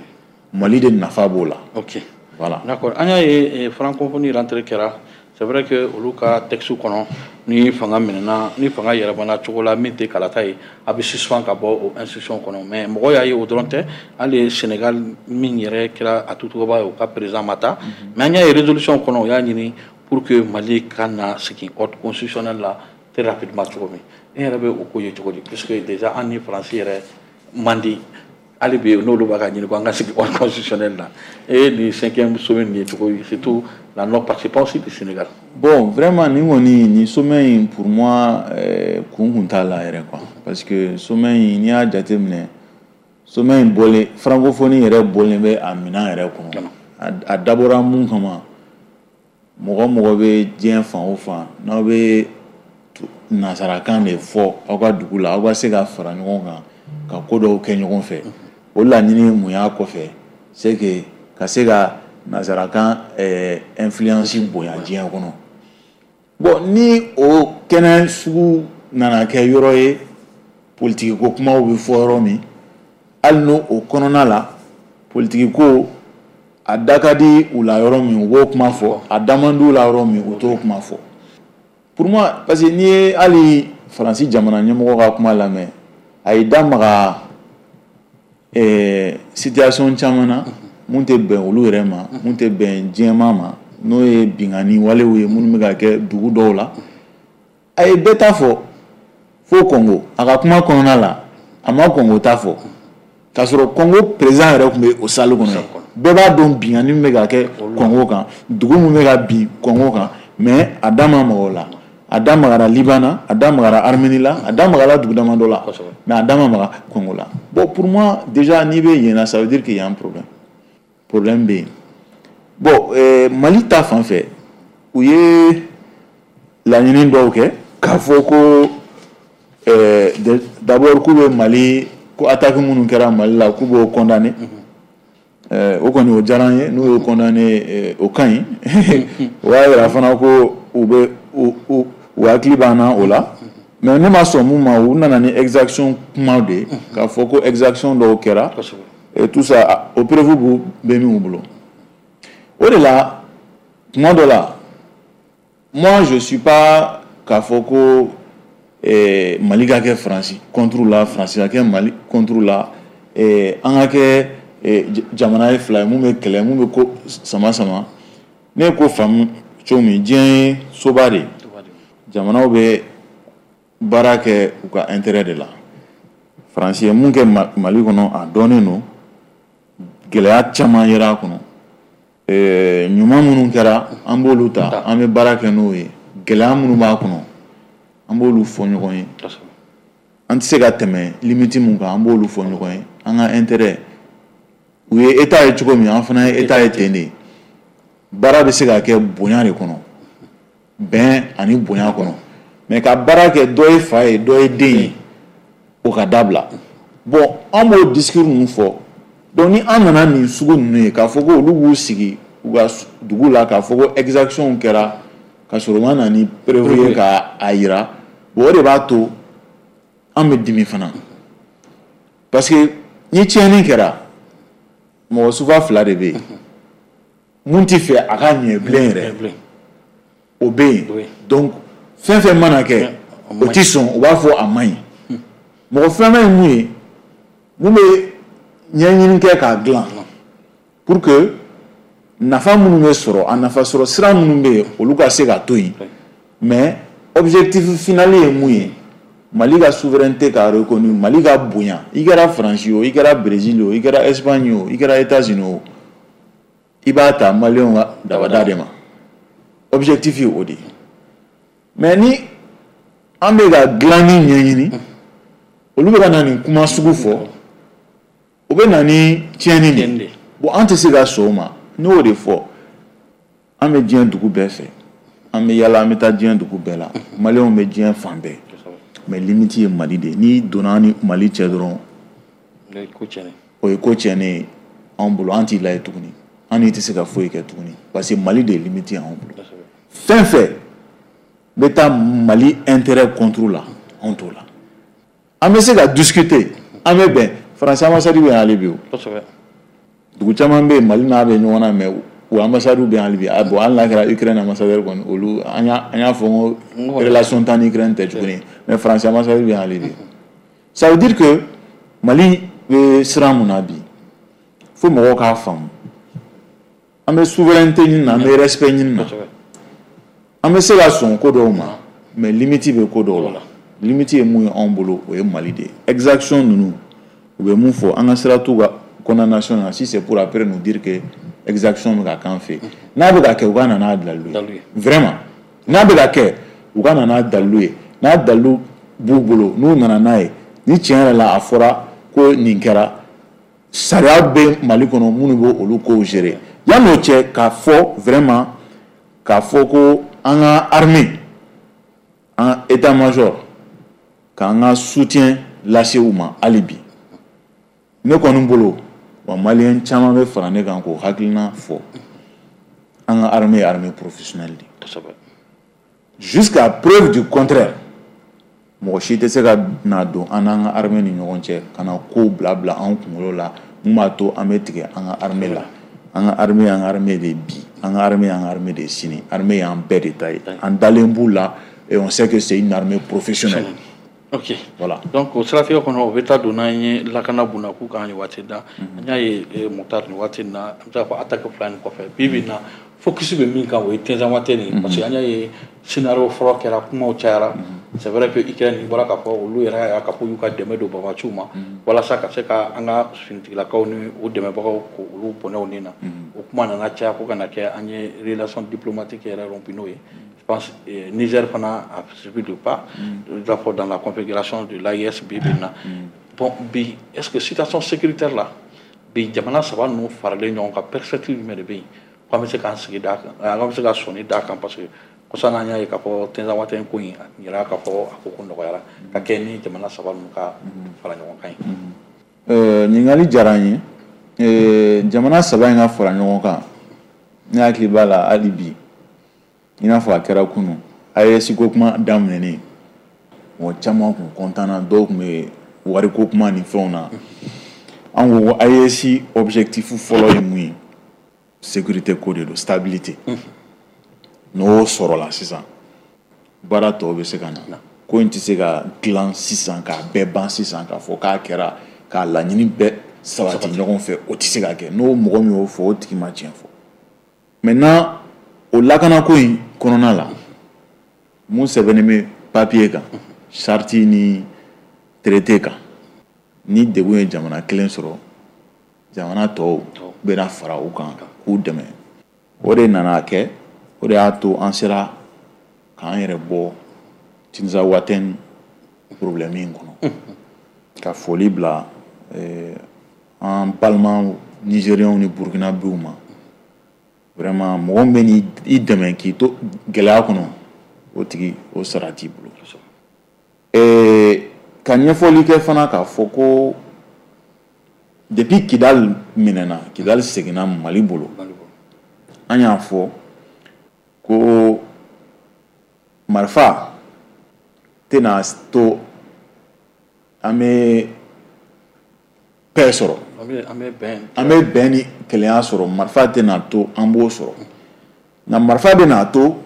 Mali de nafa b'o la. Voilà. D'accord. An y'a ye francophonie rentrée kɛra. C'est vrai que olu ka texte kɔnɔ, ni fanga minɛna, ni fanga yɛlɛmana cogo la min tɛ kalata ye, a bɛ suspend ka bɔ o institution kɔnɔ. Mais mɔgɔ y'a ye, o dɔrɔn tɛ, hali Sénégal min yɛrɛ kɛra a tutuba ye, o ka président ma taa. Mais an y'a ye résolution kɔnɔ, o y'a ɲini pour que Mali ka na segin ordre constitutionnel la très rapidement cogo min. E yɛrɛ bɛ o ko ye cogo di? Puisque déjà an ni Faransi yɛrɛ man di hali bi, n'olu b'a ka ɲini ko an ka sigi ordre constitutionnel la. E ni cinquième sommet nin ye cogo di, surtout la non participation aussi du Sénégal? Bon, vraiment, nin kɔni, nin sommet in, pour moi, kun t'a la yɛrɛ quoi, parce que sommet in, n'i y'a jateminɛ, sommet in bɔlen, francophonie yɛrɛ bɔlen bɛ a minɛn yɛrɛ kɔnɔ. A dabɔra mun kama? Mɔgɔ mɔgɔ bɛ diɲɛ fan o fan, n'aw bɛ nansarakan de fɔ aw ka dugu la, aw ka se ka fara ɲɔgɔn kan ka ko dɔw kɛ ɲɔgɔn fɛ. O laɲini ye mun y'a kɔfɛ? C'est que ka se ka nansarakan influence bonya diɲɛ kɔnɔ. Bon, ni o kɛnɛ sugu nana kɛ yɔrɔ ye politiki ko kumaw bɛ fɔ yɔrɔ min, hali n'o o kɔnɔna la politiki ko a da ka di u la yɔrɔ min, u b'o kuma fɔ, a da man di u la yɔrɔ min, u t'o kuma fɔ. Pour moi, parce que n'i ye hali Faransi jamana ɲɛmɔgɔ ka kuma lamɛn, a y'i da maga situation caman na mun tɛ bɛn olu yɛrɛ ma, mun tɛ bɛn diɲɛmaa ma, n'o ye binkanni walew ye minnu bɛ ka kɛ dugu dɔw la. A ye bɛɛ ta fɔ fo Kɔngo. A ka kuma kɔnɔna la, a ma Kɔngo ta fɔ, k'a sɔrɔ Kɔngo président yɛrɛ tun bɛ o salle kɔnɔ yen. Bɛɛ b'a dɔn binkanni min bɛ ka kɛ Kɔngo kan, dugu min bɛ ka bin Kɔngo kan, mais a da ma maga o la. A da magara Liban na, a da magara Arménie la, a da magara dugu damadɔ la, mais a da ma maga Kɔngo la. Bon, pour moi, déjà n'i bɛ yen na, ça veut dire qu'il y a un problème, problème bɛ yen. Bon, Mali ta fan fɛ, u ye laɲini dɔw kɛ k'a fɔ ko d'abord k'u bɛ Mali ko attaque minnu kɛra Mali la, k'u b'o condamner. O kɔni, o diyara n ye. N'u y'o condamner, o ka ɲi. O b'a yira fana ko u bɛ u hakili b'an na o la. Mais ne ma sɔn mun ma, u nana ni exaction kumaw de ye, k'a fɔ ko exaction dɔw kɛra et tout ça, o preuve bɛ min bolo. O de la, tuma dɔ la, moi je suis pas k'a fɔ ko Mali ka kɛ Faransi contre la, Faransi ka kɛ Mali contre la, an ka kɛ jamana ye fila ye mun bɛ kɛlɛ, mun bɛ ko sama sama. Ne ye ko faamu cogo min, diɲɛ ye soba de ye, jamanaw bɛ baara kɛ u ka intérêt de la. Faransi ye mun kɛ Mali kɔnɔ, a dɔnnen don, gɛlɛya caman yera a kɔnɔ. Ɲuman minnu kɛra, an b'olu ta, an bɛ baara kɛ n'o ye. Gɛlɛya minnu b'a kɔnɔ, an b'olu fɔ ɲɔgɔn ye. An tɛ se ka tɛmɛ limite mun kan, an b'olu fɔ ɲɔgɔn ye. An ka intérêt, u ye état ye cogo min, an fana ye état ye ten de. Baara bɛ se ka kɛ bonya de kɔnɔ, bɛn ani bonya kɔnɔ. Mais ka baara kɛ dɔ ye fa ye, dɔ ye den ye, o ka dabila. Bon, an b'o discours ninnu fɔ. Donc ni an nana nin sugu ninnu ye, k'a fɔ ko olu b'u sigi u ka dugu la k'a fɔ ko exaction kɛra ka sɔrɔ u ma na ni preuve ye k'a yira, bon, o de b'a to an bɛ dimi fana. Parce que ni tiɲɛni kɛra, mɔgɔ suguya fila de bɛ yen. Mun tɛ fɛ a ka ɲɛ bilen yɛrɛ, o bɛ yen. Donc fɛn fɛn mana kɛ, o tɛ sɔn, u b'a fɔ a man ɲi. Mɔgɔ filanan ye mun ye? Mun bɛ ɲɛɲini kɛ k'a dilan pour que nafa minnu bɛ sɔrɔ, a nafa sɔrɔ sira minnu bɛ yen, olu ka se ka to yen. Mais objectif final ye mun ye? Mali ka souveraineté ka reconnu, Mali ka bonya. I kɛra Faransi o, i kɛra Brésil o, i kɛra Espagne o, i kɛra États-Unis o, i b'a ta maliyɛnw ka dabada de ma. Objectif ye o de ye. Mais ni an bɛ ka dilanni ɲɛɲini, olu bɛ ka na nin kuma sugu fɔ, o bɛ na ni tiɲɛni de ye. Bon, an tɛ se ka sɔn o ma. Ne y'o de fɔ, an bɛ diɲɛ dugu bɛɛ fɛ, an bɛ yala, an bɛ taa diɲɛ dugu bɛɛ la, maliyɛnw bɛ diɲɛ fan bɛɛ, mais limite ye Mali de ye. N'i donna an ni Mali cɛ dɔrɔn, o ye ko tiɲɛnen ye anw bolo. An t'i lajɛ tuguni, an n'i tɛ se ka foyi kɛ tuguni, parce que Mali de ye limite ye anw bolo. Fɛn fɛn bɛ taa Mali intérêt contre la, anw t'o la. An bɛ se ka discuter, an bɛ bɛn. Faransi ambassade bɛ yan hali bi o. Dugu caman bɛ yen, Mali n'a bɛ ɲɔgɔn na, mais o ambassade bɛ yan hali bi. Bon, hali n'a kɛra Ukraine ambassadeur kɔni, olu an y'a fɔ n ko relation t'an ni Ukraine tɛ tuguni, mais Faransi ambassade bɛ yan hali bi. Ça veut dire que Mali bɛ sira mun na bi, fo mɔgɔw k'a faamu. An bɛ souveraineté ɲini na, an bɛ respect ɲini na, an bɛ se ka sɔn ko dɔw ma, mais limite bɛ ko dɔw la. Limite ye mun ye anw bolo? O ye Mali de ye. Exaction ninnu, u bɛ mun fɔ? An ka sira t'u ka condamnation na. Si c'est pour après nous dire que exaction bɛ ka k'an fɛ, n'a bɛ ka kɛ, u ka na n'a dalilu ye. Vraiment, n'a bɛ ka kɛ, u ka na n'a dalilu ye. N'a dalilu b'u bolo, n'u nana n'a ye, ni tiɲɛ yɛrɛ la a fɔra ko nin kɛra, sariya bɛ Mali kɔnɔ minnu bɛ olu kow gérer. Yan'o cɛ, k'a fɔ vraiment, k'a fɔ ko an ka armée, an ka état-major, k'an ka soutien lase u ma hali bi, ne kɔni bolo, wa maliyɛn caman bɛ fara ne kan k'o hakilina fɔ, an ka armée ye armée professionnelle de ye. Jusqu'à preuve du contraire, mɔgɔ si tɛ se ka na don an n'an ka armée ni ɲɔgɔn cɛ ka na kow bila bila an kunkolo la mun b'a to an bɛ tigɛ an ka armée la. An ka armée y'an ka armée de bi, an ka armée y'an ka armée de sini, armée y'an bɛɛ de ta ye. An dalen b'u la et on sait que c'est une armée professionnelle. Ok. Voilà. Donc o siratigɛ kɔnɔ, o bɛ taa don n'an ye lakana bunakun kan nin waati na. An y'a ye, Moctar, nin waati in na, an bɛ se k'a fɔ attaque fila nin kɔfɛ, bi bi in na, focus bɛ min kan, o ye Tinzawatène ye, parce que an y'a ye scénario fɔlɔ kɛra, kumaw cayara. C'est vrai que Ukraine bɔra k'a fɔ, olu yɛrɛ y'a k'a fɔ y'u ka dɛmɛ don banbaanciw ma walasa ka se ka an ka finitigilakaw ni o dɛmɛbagaw k'olu bɔnɛ u ni na. O kuma nana caya fo ka na kɛ an ye relation diplomatique yɛrɛ rompu n'o ye. Je pense Niger fana a suivi le pas, d'abord dans la configuration de l'AES bi bi in na. Bon, bi, est-ce que situation sécuritaire la bi, jamana saba ninnu faralen ɲɔgɔn kan, perspective jumɛn de bɛ yen ko an bɛ se k'an sigi d'a kan, an bɛ se ka sɔnni d'a kan? Parce que kɔsa n'an y'a ye k'a fɔ Tinzawatène ko in a yira k'a fɔ a ko ko nɔgɔyara ka kɛ ni jamana saba ninnu ka fara ɲɔgɔn kan ye. Ɲininkali diyara n ye. Jamana saba in ka fara ɲɔgɔn kan, ne hakili b'a la hali bi, i n'a fɔ a kɛra kunun. AES ko kuma daminɛnen, mɔgɔ caman kun content na, dɔw tun bɛ wariko kuma ni fɛnw na. An ko ko AES objectif fɔlɔ ye mun ye? Sécurité ko de don, stabilité. N'o sɔrɔla sisan, baara tɔw bɛ se ka na. Ko in tɛ se ka dilan sisan k'a bɛɛ ban sisan, k'a fɔ k'a kɛra k'a laɲini bɛɛ sabati ɲɔgɔn fɛ, o tɛ se ka kɛ. N'o mɔgɔ min y'o fɔ, o tigi ma tiɲɛ fɔ. Maintenant, o lakanako in kɔnɔna la, mun sɛbɛnnen bɛ papier kan, charte ni traité kan, ni degun ye jamana kelen sɔrɔ, jamana tɔw bɛna fara u kan k'u dɛmɛ. O de nana kɛ, o de y'a to an sera k'an yɛrɛ bɔ Tinzawatɛn problème in kɔnɔ, ka foli bila an balima Nigériens ni Burkinabéw ma. Vraiment, mɔgɔ min bɛ n'i dɛmɛ k'i to gɛlɛya kɔnɔ, o tigi o sara t'i bolo. Ka ɲɛfɔli kɛ fana k'a fɔ ko depuis Kidal minɛna, Kidal seginna Mali bolo, an y'a fɔ ko marifa tɛna to an bɛ paix sɔrɔ, an bɛ bɛn ni kelenya sɔrɔ, marifa tɛna to an b'o sɔrɔ. Nka marifa bɛna to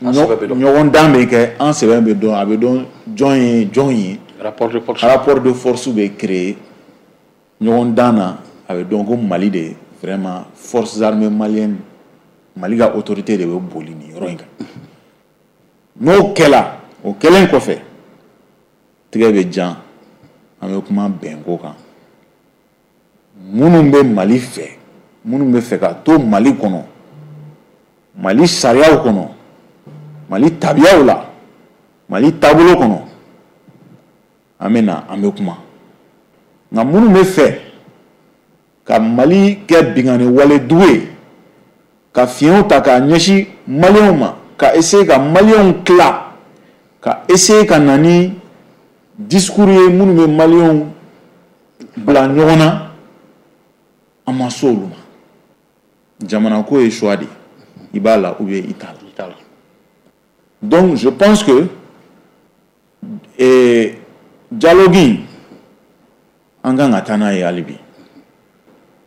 ɲɔgɔn dan bɛ kɛ, an sɛbɛn bɛ dɔn, a bɛ dɔn jɔn ye jɔn ye, rapport de force bɛ créer ɲɔgɔn dan na, a bɛ dɔn ko Mali de, vraiment, forces armées maliennes, Mali ka autorité de bɛ boli nin yɔrɔ in kan. N'o kɛla, o kɛlen kɔfɛ, tigɛ bɛ jan, an bɛ kuma bɛnko kan. Minnu bɛ Mali fɛ, minnu bɛ fɛ ka to Mali kɔnɔ, Mali sariyaw kɔnɔ, Mali tabiyaw la, Mali taabolo kɔnɔ, an bɛ na, an bɛ kuma. Nka minnu bɛ fɛ ka Mali kɛ binkanni wale dugu ye, ka fiɲɛw ta k'a ɲɛsin Maliyɛnw ma, ka essayer ka Maliyɛnw tila, ka essayer ka na ni discours ye minnu bɛ Maliyɛnw bila ɲɔgɔn na, an ma s'olu ma. Jamana ko ye choix de ye, i b'a la ou bien i t'a la. Donc je pense que dialogue in, an kan ka taa n'a ye hali bi.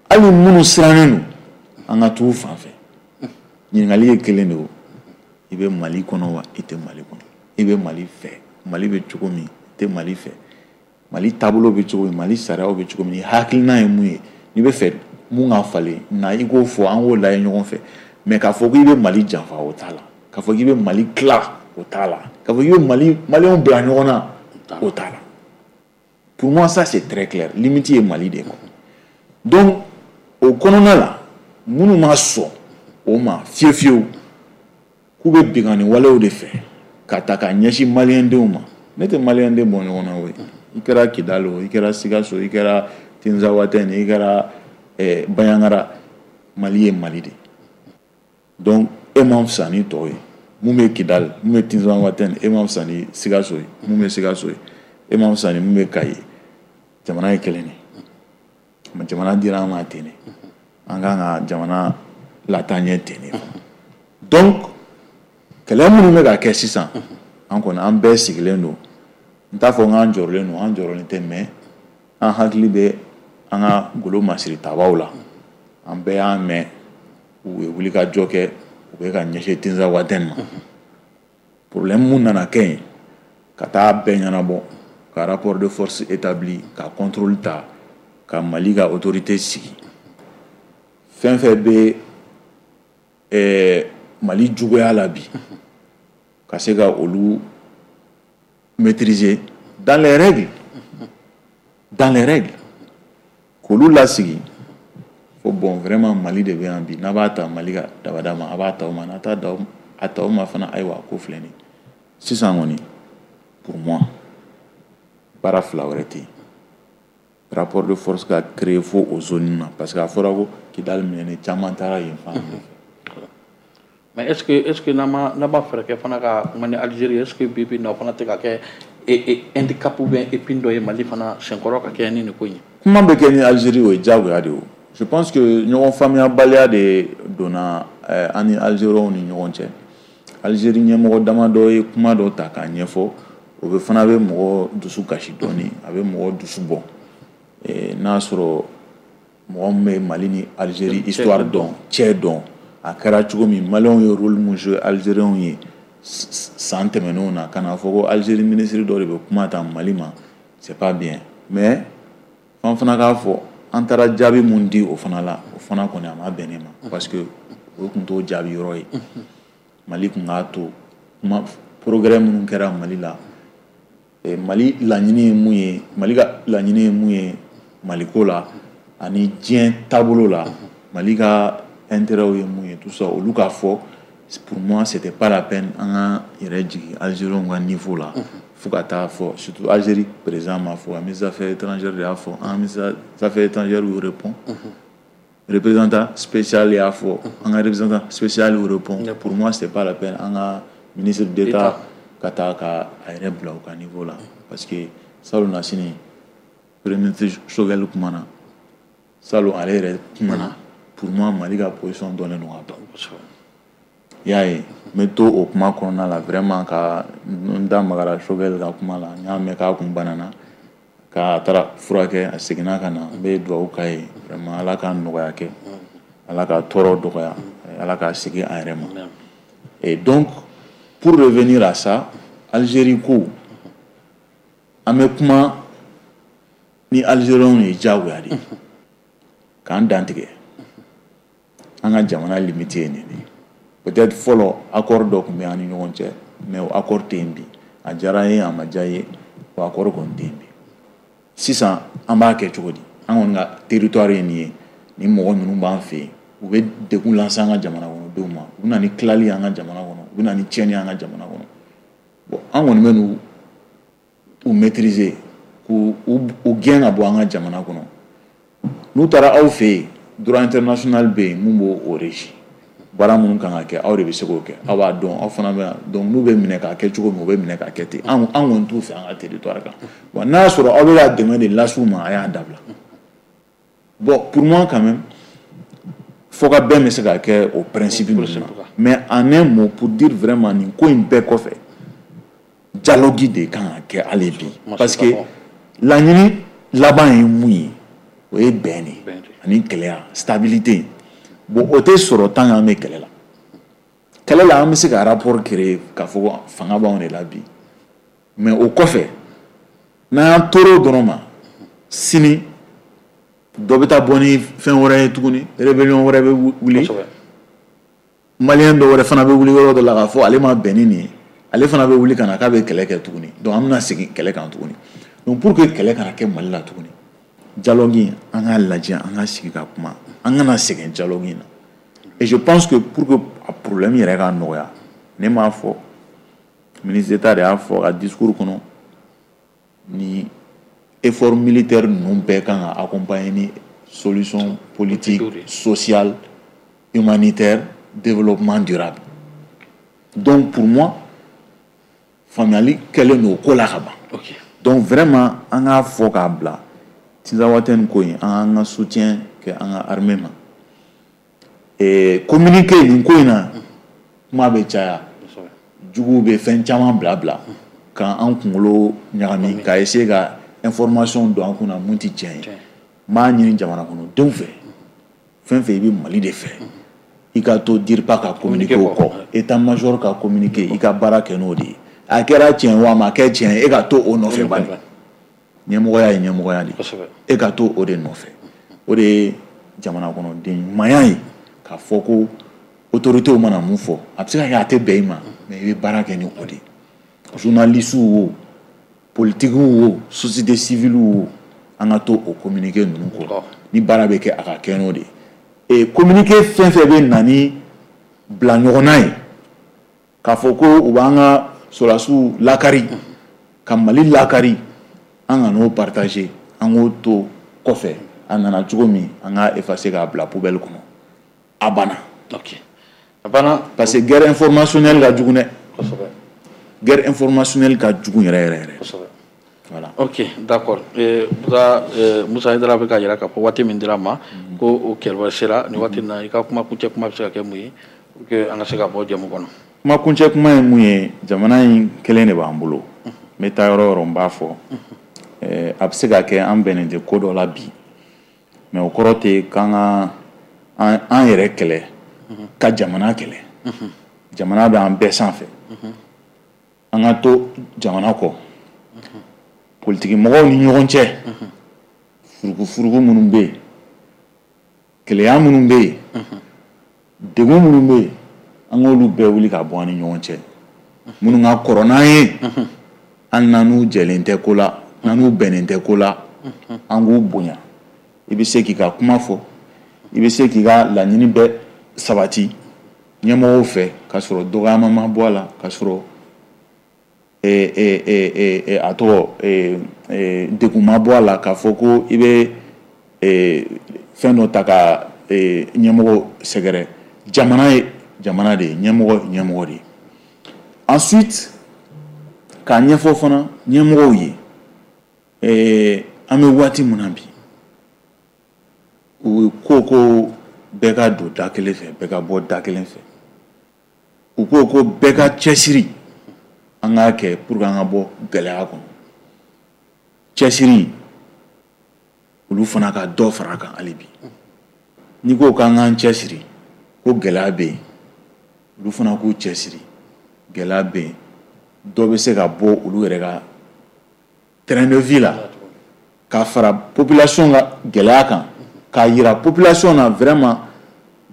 Hali minnu sirannen don, an ka t'u fan fɛ. Ɲininkali ye kelen de ye, i bɛ Mali kɔnɔ wa i tɛ Mali kɔnɔ? I bɛ Mali fɛ, Mali bɛ cogo min, i tɛ Mali fɛ, Mali taabolo bɛ cogo min, Mali sariyaw bɛ cogo min, hakilina ye mun ye, n'i bɛ fɛ mun ka falen na, i k'o fɔ, an k'o lajɛ ɲɔgɔn fɛ. Mais k'a fɔ k'i bɛ Mali janfa, o t'a la. K'a fɔ k'i bɛ Mali tila, o t'a la. K'a fɔ k'i bɛ Mali Maliyɛnw bila ɲɔgɔn na, o t'a la. Pour moi, ça c'est très clair. Limite ye Mali de quoi. Donc o kɔnɔna la, minnu ma sɔn o ma fiyewu fiyewu, k'u bɛ binkanni walew de fɛ ka ta k'a ɲɛsin Maliyɛndenw ma, ne tɛ Maliyɛnden bɔ ɲɔgɔn na o ye. I kɛra Kidali o, i kɛra Sikaso, i kɛra Tinzawatɛni, i kɛra Bandiagara, Mali ye Mali de. Donc e man fisa ni tɔw ye. Mun bɛ Kidali, mun bɛ Tinzawatɛni, e man fisa ni Sikaso ye. Mun bɛ Sikaso ye, e man fisa ni mun bɛ Kayi ye. Jamana ye kelen de, jamana dira an ma ten de, an kan ka jamana lataa ɲɛ ten de. Donc kɛlɛ minnu bɛ ka kɛ sisan, an kɔni an bɛɛ sigilen don. N t'a fɔ k'an jɔrɔlen don, an jɔrɔlen tɛ, mais an hakili bɛ an ka golo masiri tabaw la. An bɛɛ y'a mɛn u ye wulikajɔ kɛ, u bɛ ka ɲɛsin Tinzawatɛni ma. Problème mun nana kɛ yen, ka taa bɛɛ ɲɛnabɔ, ka rapport de force établi, ka contrôle ta, ka Mali ka autorité sigi. Fɛn fɛn bɛ Mali juguya la bi, ka se ka olu maîtriser dans les règles, dans les règles, k'olu lasigi. Fo bon, vraiment, Mali de bɛ yan bi, n'a b'a ta Mali ka dabada ma, a b'a ta o ma, n'a t'a da a ta o ma fana, ayiwa, ko filɛ nin ye. Sisan kɔni, pour moi, baara fila wɛrɛ tɛ yen. Rapport de force ka créer fo o zone na, parce que a fɔra ko Kidali minɛnen, caman taara yen fan fɛ. Mais est-ce que n'an ma fɛɛrɛ kɛ fana ka kuma ni Algérie, est-ce que bi bi in na o fana tɛ ka kɛ handicap ou bien épine dɔ ye Mali fana senkɔrɔ ka kɛ ni nin ko in ye? Kuma bɛ kɛ ni Algérie, o ye diyagoya de ye o. Je pense que ɲɔgɔn faamuyabaliya de donna an ni Algériens ni ɲɔgɔn cɛ. Algérie ɲɛmɔgɔ damadɔ ye kuma dɔ ta k'a ɲɛfɔ, o bɛ fana bɛ mɔgɔ dusu kasi dɔɔni, a bɛ mɔgɔ dusu bɔ. N'a sɔrɔ mɔgɔ min bɛ Mali ni Algérie histoire dɔn, cɛ dɔn, a kɛra cogo min, Maliyɛnw ye rôle mun jouer Algériens ye san tɛmɛnenw na, ka n'a fɔ ko Algérie ministre dɔ de bɛ kuma ta Mali ma, c'est pas bien. Mais f'an fana k'a fɔ, an taara jaabi mun di o fana la, o fana kɔni a ma bɛn ne ma, parce que o tun t'o jaabi yɔrɔ ye. Mali tun k'a to kuma progrès minnu kɛra Mali la, Mali laɲini ye mun ye, Mali ka laɲini ye mun ye Maliko la ani diɲɛ taabolo la, Mali ka intérêt ye mun ye, tout ça, olu k'a fɔ. Pour moi, c'était pas la peine an ka yɛrɛ jigin Algériens ka niveau la fo ka taa fɔ, surtout Algérie président m'a fɔ, ministre des Affaires étrangères de y'a fɔ, an ministre des Affaires étrangères y'u répond, représentant spécial y'a fɔ, an ka représentant spécial y'u répond. Pour moi, c'était pas la peine an ka ministre d'État ka taa ka a yɛrɛ bila u ka niveau la, parce que salon na sini, premier ministre Choguel kumana, salon ale yɛrɛ kumana. Pour moi, Mali ka position dɔnnen don ka ban. I y'a ye, n bɛ to o kuma kɔnɔna la, vraiment, ka n da magara Choguel ka kuma la. N y'a mɛn k'a kun banana, k'a taara furakɛ, a seginna ka na. N bɛ dugawu k'a ye, vraiment, Ala ka nɔgɔya kɛ, Ala ka tɔɔrɔ dɔgɔya, Ala k'a segin a yɛrɛ ma. Et donc, pour revenir à ça, Algérie ko, an bɛ kuma ni Algériens ye diyagoya de k'an dantigɛ, an ka jamana limite ye nin de ye. Peut-être fɔlɔ, accord dɔ tun bɛ an ni ɲɔgɔn cɛ, mais o accord tɛ yen bi. A diyara n ye, a ma diya n ye, o accord kɔni tɛ yen bi. Sisan an b'a kɛ cogo di? An kɔni ka territoire ye nin ye, nin mɔgɔ ninnu b'an fɛ yen, u bɛ degun lase an ka jamana kɔnɔdenw ma, u bɛ na ni tilali ye an ka jamana kɔnɔ, u bɛ na ni tiɲɛni ye an ka jamana kɔnɔ. Bon, an kɔni bɛ n'u u maîtriser, k'u u gɛn ka bɔ an ka jamana kɔnɔ. N'u taara aw fɛ yen, droit international bɛ yen mun b'o o régi. Baara minnu kan ka kɛ, aw de bɛ se k'o kɛ, aw b'a dɔn, aw fana bɛ yan. Donc n'u bɛ minɛ k'a kɛ cogo min, u bɛ minɛ k'a kɛ ten. An kɔni t'u fɛ an ka territoire kan. Bon, n'a y'a sɔrɔ aw bɛ ka dɛmɛ de las'u ma, a y'a dabila. Bon, pour moi, quand même, fo ka bɛn bɛ se ka kɛ o principe ninnu na. Mais en un mot, pour dire vraiment, nin ko in bɛɛ kɔfɛ, dialogue de kan ka kɛ hali bi, parce que laɲini laban ye mun ye? O ye bɛn de ani kɛlɛya, stabilité. Bon, o tɛ sɔrɔ tant qu'an bɛ kɛlɛ la. Kɛlɛ la, an bɛ se ka rapport créer k'a fɔ ko fanga b'anw de la bi, mais o kɔfɛ, n'an y'an tor'o dɔrɔn ma, sini dɔ bɛ taa bɔ ni fɛn wɛrɛ ye tuguni, rébellion wɛrɛ bɛ wuli, malien dɔ wɛrɛ fana bɛ wuli yɔrɔ dɔ la k'a fɔ ale ma bɛn ni nin ye, ale fana bɛ wuli ka na k'a bɛ kɛlɛ kɛ tuguni. Donc an bɛna segin kɛlɛ kan tuguni. Donc pour que kɛlɛ kana kɛ Mali la tuguni, dialogue, an k'a lajɛ, an ka sigi ka kuma, an kana sɛgɛn dialogue in na. Et je pense que pour que a problème yɛrɛ ka nɔgɔya, ne m'a fɔ, ministre d'État de y'a fɔ a ka discours kɔnɔ, ni effort militaire ninnu bɛɛ kan ka accompagner ni solution politique, sociale, humanitaire, développement durable. Donc pour moi, faamuyali kɛlen don o ko la ka ban. Donc vraiment, an k'a fɔ k'a bila, Tinzawatɛni ko in, an k'an ka soutien kɛ an ka armée ma. Et communiqué nin ko in na, kuma bɛ caya, juguw bɛ fɛn caman bila bila k'an kunkolo ɲagami, ka essayer ka information don an kunna mun tɛ tiɲɛ ye. N b'a ɲini jamana kɔnɔdenw fɛ, fɛn fɛn i bɛ Mali de fɛ, i ka to DIRPA ka communiqué o kɔ, état major ka communiqué, i ka baara kɛ n'o de ye. A kɛra tiɲɛ o, a ma kɛ tiɲɛ ye, e ka to o nɔfɛ bani. Ɲɛmɔgɔya ye ɲɛmɔgɔya de, e ka to o de nɔfɛ. O de ye jamana kɔnɔden ɲumanya ye, k'a fɔ ko autorités mana mun fɔ, a bɛ se ka kɛ a tɛ bɛn i ma, mais i bɛ baara kɛ ni o de ye. Journalistes wo, politiques wo, société civile wo, an ka to o communiqué ninnu kɔ. Ni baara bɛ kɛ, a ka kɛ n'o de ye. Et communiqué fɛn fɛn bɛ na ni bila ɲɔgɔnna ye, k'a fɔ ko u b'an ka sɔrɔdasiw lakari, ka Mali lakari, an ka n'o partager, an k'o to kɔfɛ. A nana cogo min, an k'a effacer k'a bila poubelle kɔnɔ, a banna. Ok, a banna. Parce que guerre informationnelle ka jugu dɛ. Guerre informationnelle ka jugu yɛrɛ yɛrɛ yɛrɛ. Voilà. Ok, d'accord. Musa Haidara bɛ k'a jira k'a fɔ waati min dira ma ko o kɛlɛ sera nin waati in na. I ka kuma kuncɛ kuma bɛ se ka kɛ mun ye pour que an ka se ka bɔ jɛmu kɔnɔ? Kuma kuncɛ kuma ye mun ye? Jamana in kelen de b'an bolo. N bɛ taa yɔrɔ o yɔrɔ, n b'a fɔ, a bɛ se ka kɛ an bɛnnen tɛ ko dɔ la bi, mais o kɔrɔ tɛ k'an ka an yɛrɛ kɛlɛ ka jamana kɛlɛ. Jamana bɛ an bɛɛ sanfɛ, an ka to jamana kɔ. Politiki mɔgɔw ni ɲɔgɔn cɛ, furukufuruku minnu bɛ yen, kɛlɛya minnu bɛ yen, degun minnu bɛ yen, an k'olu bɛɛ wuli ka bɔ an ni ɲɔgɔn cɛ. Minnu ka kɔrɔ n'an ye, hali n'an n'u jɛlen tɛ ko la, n'an n'u bɛnnen tɛ ko la, an k'u bonya. I bɛ se k'i ka kuma fɔ, i bɛ se k'i ka laɲini bɛɛ sabati ɲɛmɔgɔw fɛ k'a sɔrɔ dɔgɔyama ma bɔ a la, k'a sɔrɔ a tɔgɔ degun ma bɔ a la, k'a fɔ ko i bɛ fɛn dɔ ta ka ɲɛmɔgɔ sɛgɛrɛ. Jamana ye jamana de ye, ɲɛmɔgɔ ɲɛmɔgɔ de ye. Ensuite, k'a ɲɛfɔ fana ɲɛmɔgɔw ye, an bɛ waati min na bi, u ko bɛɛ ka don da kelen fɛ, bɛɛ ka bɔ da kelen fɛ. U ko bɛɛ ka cɛsiri, an k'a kɛ pour que an ka bɔ gɛlɛya kɔnɔ. Cɛsiri, olu fana ka dɔ fara a kan hali bi. N'i ko k'an k'an cɛsiri, ko gɛlɛya bɛ yen, olu fana k'u cɛsiri, gɛlɛya bɛ yen, dɔ bɛ se ka bɔ olu yɛrɛ ka train de vie la, ka fara population ka gɛlɛya kan, k'a yira population na vraiment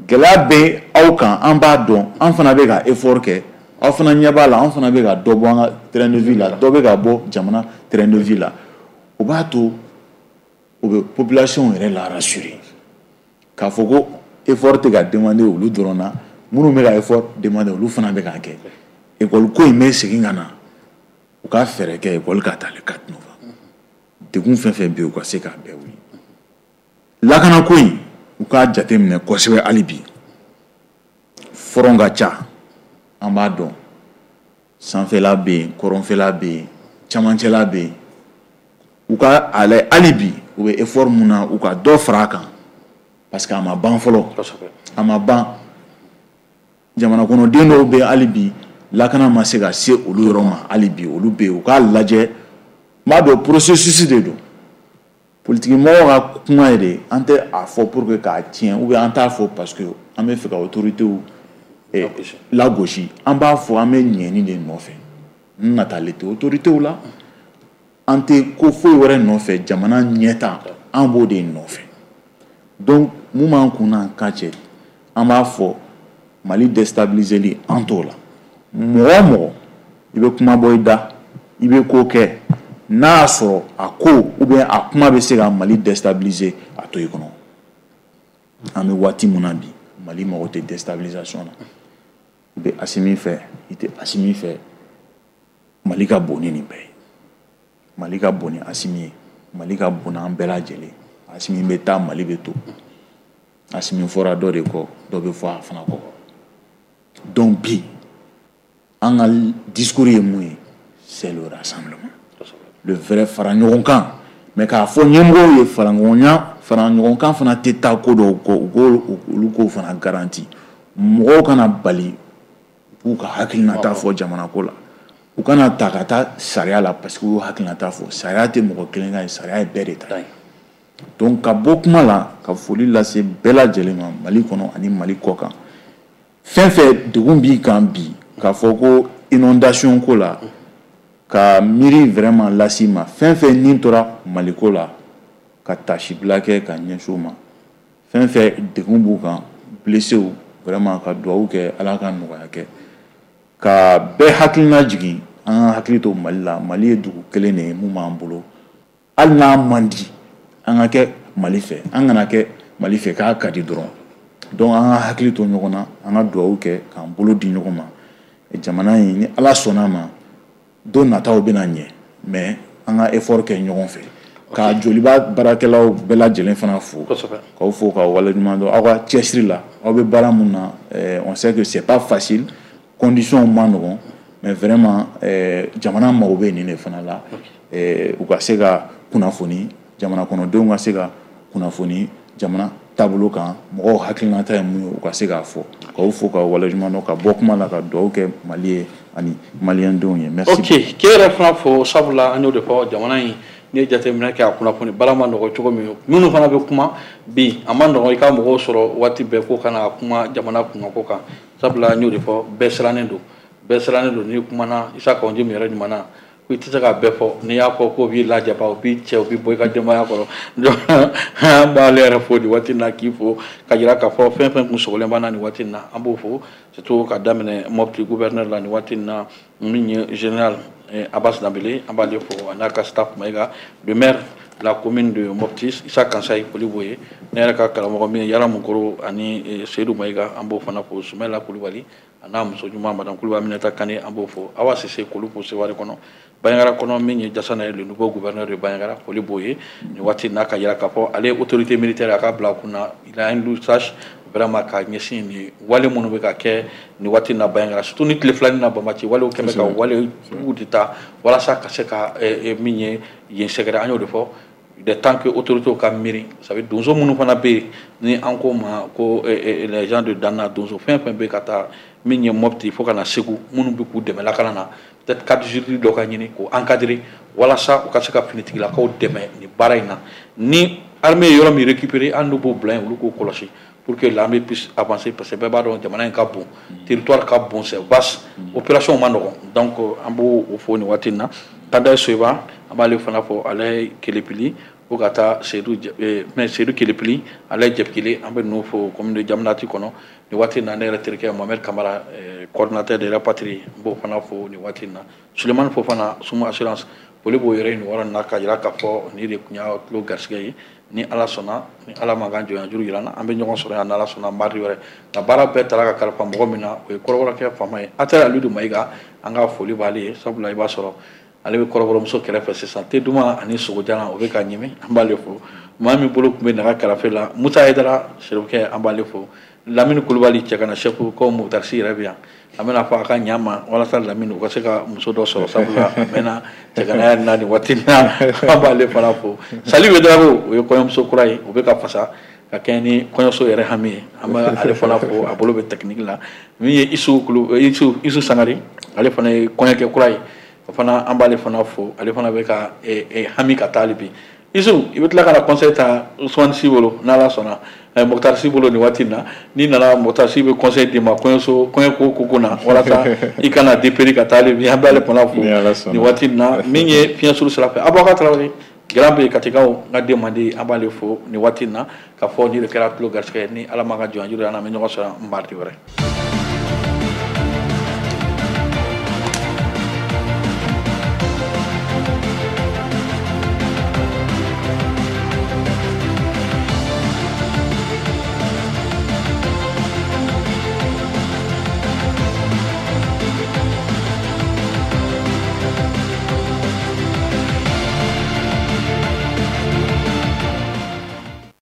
gɛlɛya bɛ aw kan, an b'a dɔn, an fana bɛ ka effort kɛ, aw fana ɲɛ b'a la, an fana bɛ ka dɔ bɔ an ka train de vie la, dɔ bɛ ka bɔ jamana train de vie la. O b'a to o bɛ population yɛrɛ la rassurer, k'a fɔ ko effort tɛ ka demander olu dɔrɔn na, minnu bɛ ka effort demander olu fana bɛ k'a kɛ. École ko in bɛ segin ka na, u ka fɛɛrɛ kɛ école ka taa le 4 novembre. Degun fɛn fɛn bɛ yen, u ka se k'a bɛɛ wuli. Lakanako in, u k'a jateminɛ kosɛbɛ hali bi. Front ka ca, an b'a dɔn, sanfɛla bɛ yen, kɔrɔnfɛla bɛ yen, camancɛla bɛ yen. U ka a lajɛ hali bi, u bɛ effort mun na, u ka dɔ fara a kan, parce que a ma ban fɔlɔ, a ma ban. Jamana kɔnɔden dɔw bɛ yen hali bi, lakana ma se ka se olu yɔrɔ ma hali bi, olu bɛ yen, u k'a lajɛ. N b'a dɔn processus de don, politique mɔgɔw ka kuma ye de, an tɛ a fɔ pour que k'a tiɲɛ, ou bien an t'a fɔ parce que an bɛ fɛ ka autorités lagosi. An b'a fɔ an bɛ ɲɛni de nɔfɛ, n natalen tɛ autorités la, an tɛ ko foyi wɛrɛ nɔfɛ, jamana ɲɛta an b'o de nɔfɛ. Donc mun b'an kun n'an kan cɛ, an b'a fɔ Mali déstabiliseli an t'o la. Mɔgɔ o mɔgɔ i bɛ kuma bɔ i da, i bɛ ko kɛ, n'a y'a sɔrɔ a ko ou bien a kuma bɛ se ka Mali déstabiliser, a to i kɔnɔ. An bɛ waati min na bi, Mali mago tɛ déstabilisation na. I bɛ Asimi fɛ, i tɛ Asimi fɛ, Mali ka bon ni nin bɛɛ ye. Mali ka bon ni Asimi ye, Mali ka bon n'an bɛɛ lajɛlen. Asimi bɛ taa, Mali bɛ to. Asimi fɔra dɔ de kɔ, dɔ bɛ fɔ a fana kɔ. Donc bi, an ka discours ye mun ye? C'est le rassemblement, le vrai fara ɲɔgɔn kan. Mais k'a fɔ ɲɛmɔgɔw ye, fara ɲɔgɔn kan fana tɛ taa ko dɔw kɔ, u k'o olu k'o fana garanti. Mɔgɔw kana bali u k'u ka hakilinata fɔ jamana ko la, u kana ta ka taa sariya la parce que u y'u hakilinata fɔ. Sariya tɛ mɔgɔ kelen ka ye, sariya ye bɛɛ de ta ye. Donc ka bɔ kuma la, ka foli lase bɛɛ lajɛlen ma Mali kɔnɔ ani Mali kɔ kan. Fɛn fɛn degun b'i kan bi, k'a fɔ ko inondation ko la, ka miiri vraiment las'i ma, fɛn fɛn nin tora Maliko la, ka tasibila kɛ ka ɲɛsin u ma. Fɛn fɛn degun b'u kan, blesséw, vraiment ka duwawu kɛ Ala ka nɔgɔya kɛ, ka bɛɛ hakilina jigin. An ka hakili to Mali la. Mali ye dugu kelen de ye mun b'an bolo, hali n'a man di, an ka kɛ Mali fɛ, an kana kɛ Mali fɛ k'a ka di dɔrɔn. Donc an ka hakili to ɲɔgɔn na, an ka duwawu kɛ k'an bolo di ɲɔgɔn ma. Jamana in, ni Ala sɔnna a ma, don nataw bɛna ɲɛ, mais an ka effort kɛ ɲɔgɔn fɛ. Ka Joliba baarakɛlaw bɛɛ lajɛlen fana fo, k'aw fo k'aw waleɲuman dɔn aw ka cɛsiri la. Aw bɛ baara mun na, on sait que c'est pas facile, conditions ma nɔgɔn, mais vraiment jamana mago bɛ nin de fana la, u ka se ka kunnafoni, jamana kɔnɔdenw ka se ka kunnafoni jamana taabolo kan, mɔgɔw hakilinata ye mun ye, u ka se k'a fɔ. K'aw fo k'aw waleɲuman dɔn, ka bɔ kuma la, ka dugawu kɛ Mali ye ani maliyɛndenw ye. Merci. Ok, k'e yɛrɛ fana fo, sabula an y'o de fɔ, jamana in, n'i ye jateminɛ kɛ, a kunnafoni baara ma nɔgɔ cogo min, minnu fana bɛ kuma bi, a ma nɔgɔ i ka mɔgɔw sɔrɔ waati bɛɛ ko kana kuma jamana kunnako kan, sabula an y'o de fɔ, bɛɛ sirannen don, bɛɛ sirannen don. N'i kumana Isa Kawu min yɛrɛ ɲuman na, ko i tɛ se k'a bɛɛ fɔ, n'i y'a fɔ k'o b'i lajaba, o b'i cɛ, o b'i bɔ i ka denbaya kɔrɔ. Donc an b'ale yɛrɛ fo nin waati in na, k'i fo ka jira k'a fɔ fɛn fɛn kun sogolen b'an na nin waati in na, an b'o fo, surtout ka daminɛ Mopti gouverneur la nin waati in na, min ye général Abbas Danbele, an b'ale fo a n'a ka staff Mayiga, le maire la commune de Mopti, Issa Kansayi, foli b'o ye. Ne yɛrɛ ka karamɔgɔ min ye Yara Mukoro ani Seydou Mayiga, an b'o fana fo. Sumɛla Kulubali a n'a muso ɲuman madame Kulubali Aminata Kane, an b'o fo. Awa Sise Kolupu Seware kɔnɔ, Bandiagara kɔnɔ, min ye Jasana ye, le nouveau gouverneur de Bandiagara, foli b'o ye nin waati n'a ka yira k'a fɔ ale ye autorité militaire, a ka bila a kunna, il a un lusage vraiment ka ɲɛsin nin wale minnu bɛ ka kɛ nin waati na Bandiagara, surtout ni tile filanin na Bamaci walew kɛn bɛ ka wale juguw de ta walasa ka se ka min ye yen sɛgɛrɛ. An y'o de fɔ, il est temps que autorités ka miiri, ça veut donso minnu fana bɛ yen ni an ko ma ko les gens de Dana, donso fɛn fɛn bɛ ka taa min ye Mopti fo ka na Segu, minnu bɛ k'u dɛmɛ lakana na, peut-être cadre juridique dɔ ka ɲini k'o encadrer walasa u ka se ka finitigilakaw dɛmɛ nin baara in na. Ni armée ye yɔrɔ min récupérer, hali n'u b'o bila yen, olu k'o kɔlɔsi pour que l'armée puisse avancer, parce que bɛɛ b'a dɔn jamana in ka bon, territoire ka bon, c'est vaste, opération ma nɔgɔn. Donc an b'o fo nin waati in na. Kanda Soyiba, an b'ale fana fɔ, ale ye Kelepili fo ka taa Seydou, mais Seydou Kelepili, ale ye Jɛpikili, an bɛ ninnu fo commune de Jamanati kɔnɔ nin waati in na. Ne yɛrɛ terikɛ Mohamed Kamara, coordinateur de la patrie, n b'o fana fo nin waati in na. Sulemani Fofana, Sumu Assurance, foli b'o yɛrɛ nin yɔrɔ in na, ka jira k'a fɔ nin de tun y'a tulo garisɛgɛ ye. Ni Ala sɔnna, ni Ala ma k'an jɔnya juru jira an na, an bɛ ɲɔgɔn sɔrɔ yan n'Ala sɔnna mardi wɛrɛ. Nka baara bɛɛ taara ka kalifa mɔgɔ min na, o ye kɔrɔbɔrɔkɛ faama ye, Atɛri Alidu Mayiga, an ka foli b'ale ye, sabula i b'a sɔrɔ ale bɛ kɔrɔbɔrɔmuso kɛrɛfɛ sisan, te duman ani sogojalan o bɛ ka ɲimi, an b'ale fo. Maa min bolo tun bɛ nɛgɛ karafe la, Musa Hayidara Serifukɛ, an b'ale fo. Lamini Kulubali, cɛ kana chef ko Motarisi yɛrɛ bɛ yan, an bɛna fɔ a ka ɲa ma walasa Lamini u ka se ka muso dɔ sɔrɔ, sabula a mɛnna cɛganaya na nin waati in na, an b'ale fana fo. Sali Wedarago, o ye kɔɲɔmuso kura ye, o bɛ ka fasa ka kɛ ni kɔɲɔso yɛrɛ hami ye, an bɛ ale fana fo, a bolo bɛ technique la. Min ye Isu Sangare, ale fana ye kɔɲɔkɛ kura ye, o fana an b'ale fana fo, ale fana bɛ ka hami ka taa hali bi. Isu, i bɛ tila ka na conseil ta Usumani Si bolo n'Ala sɔnna, Mokhtar Si bolo nin waati in na. N'i nana, Mokhtar Si bɛ conseil d'i ma kɔɲɔso kɔɲɔko ko na walasa i kana dépérir ka taa hali bi, an b'ale fana fo nin waati in na. Min ye fiɲɛ suru sira fɛ, Abubakar Tarawele Grand bɛ Katikaw, n ka den mandi, an b'ale fo nin waati in na, ka fɔ ni de kɛra tulo garisɛgɛ. Ni Ala ma ka jɔn juru an bɛ ɲɔgɔn sɔrɔ mardi wɛrɛ.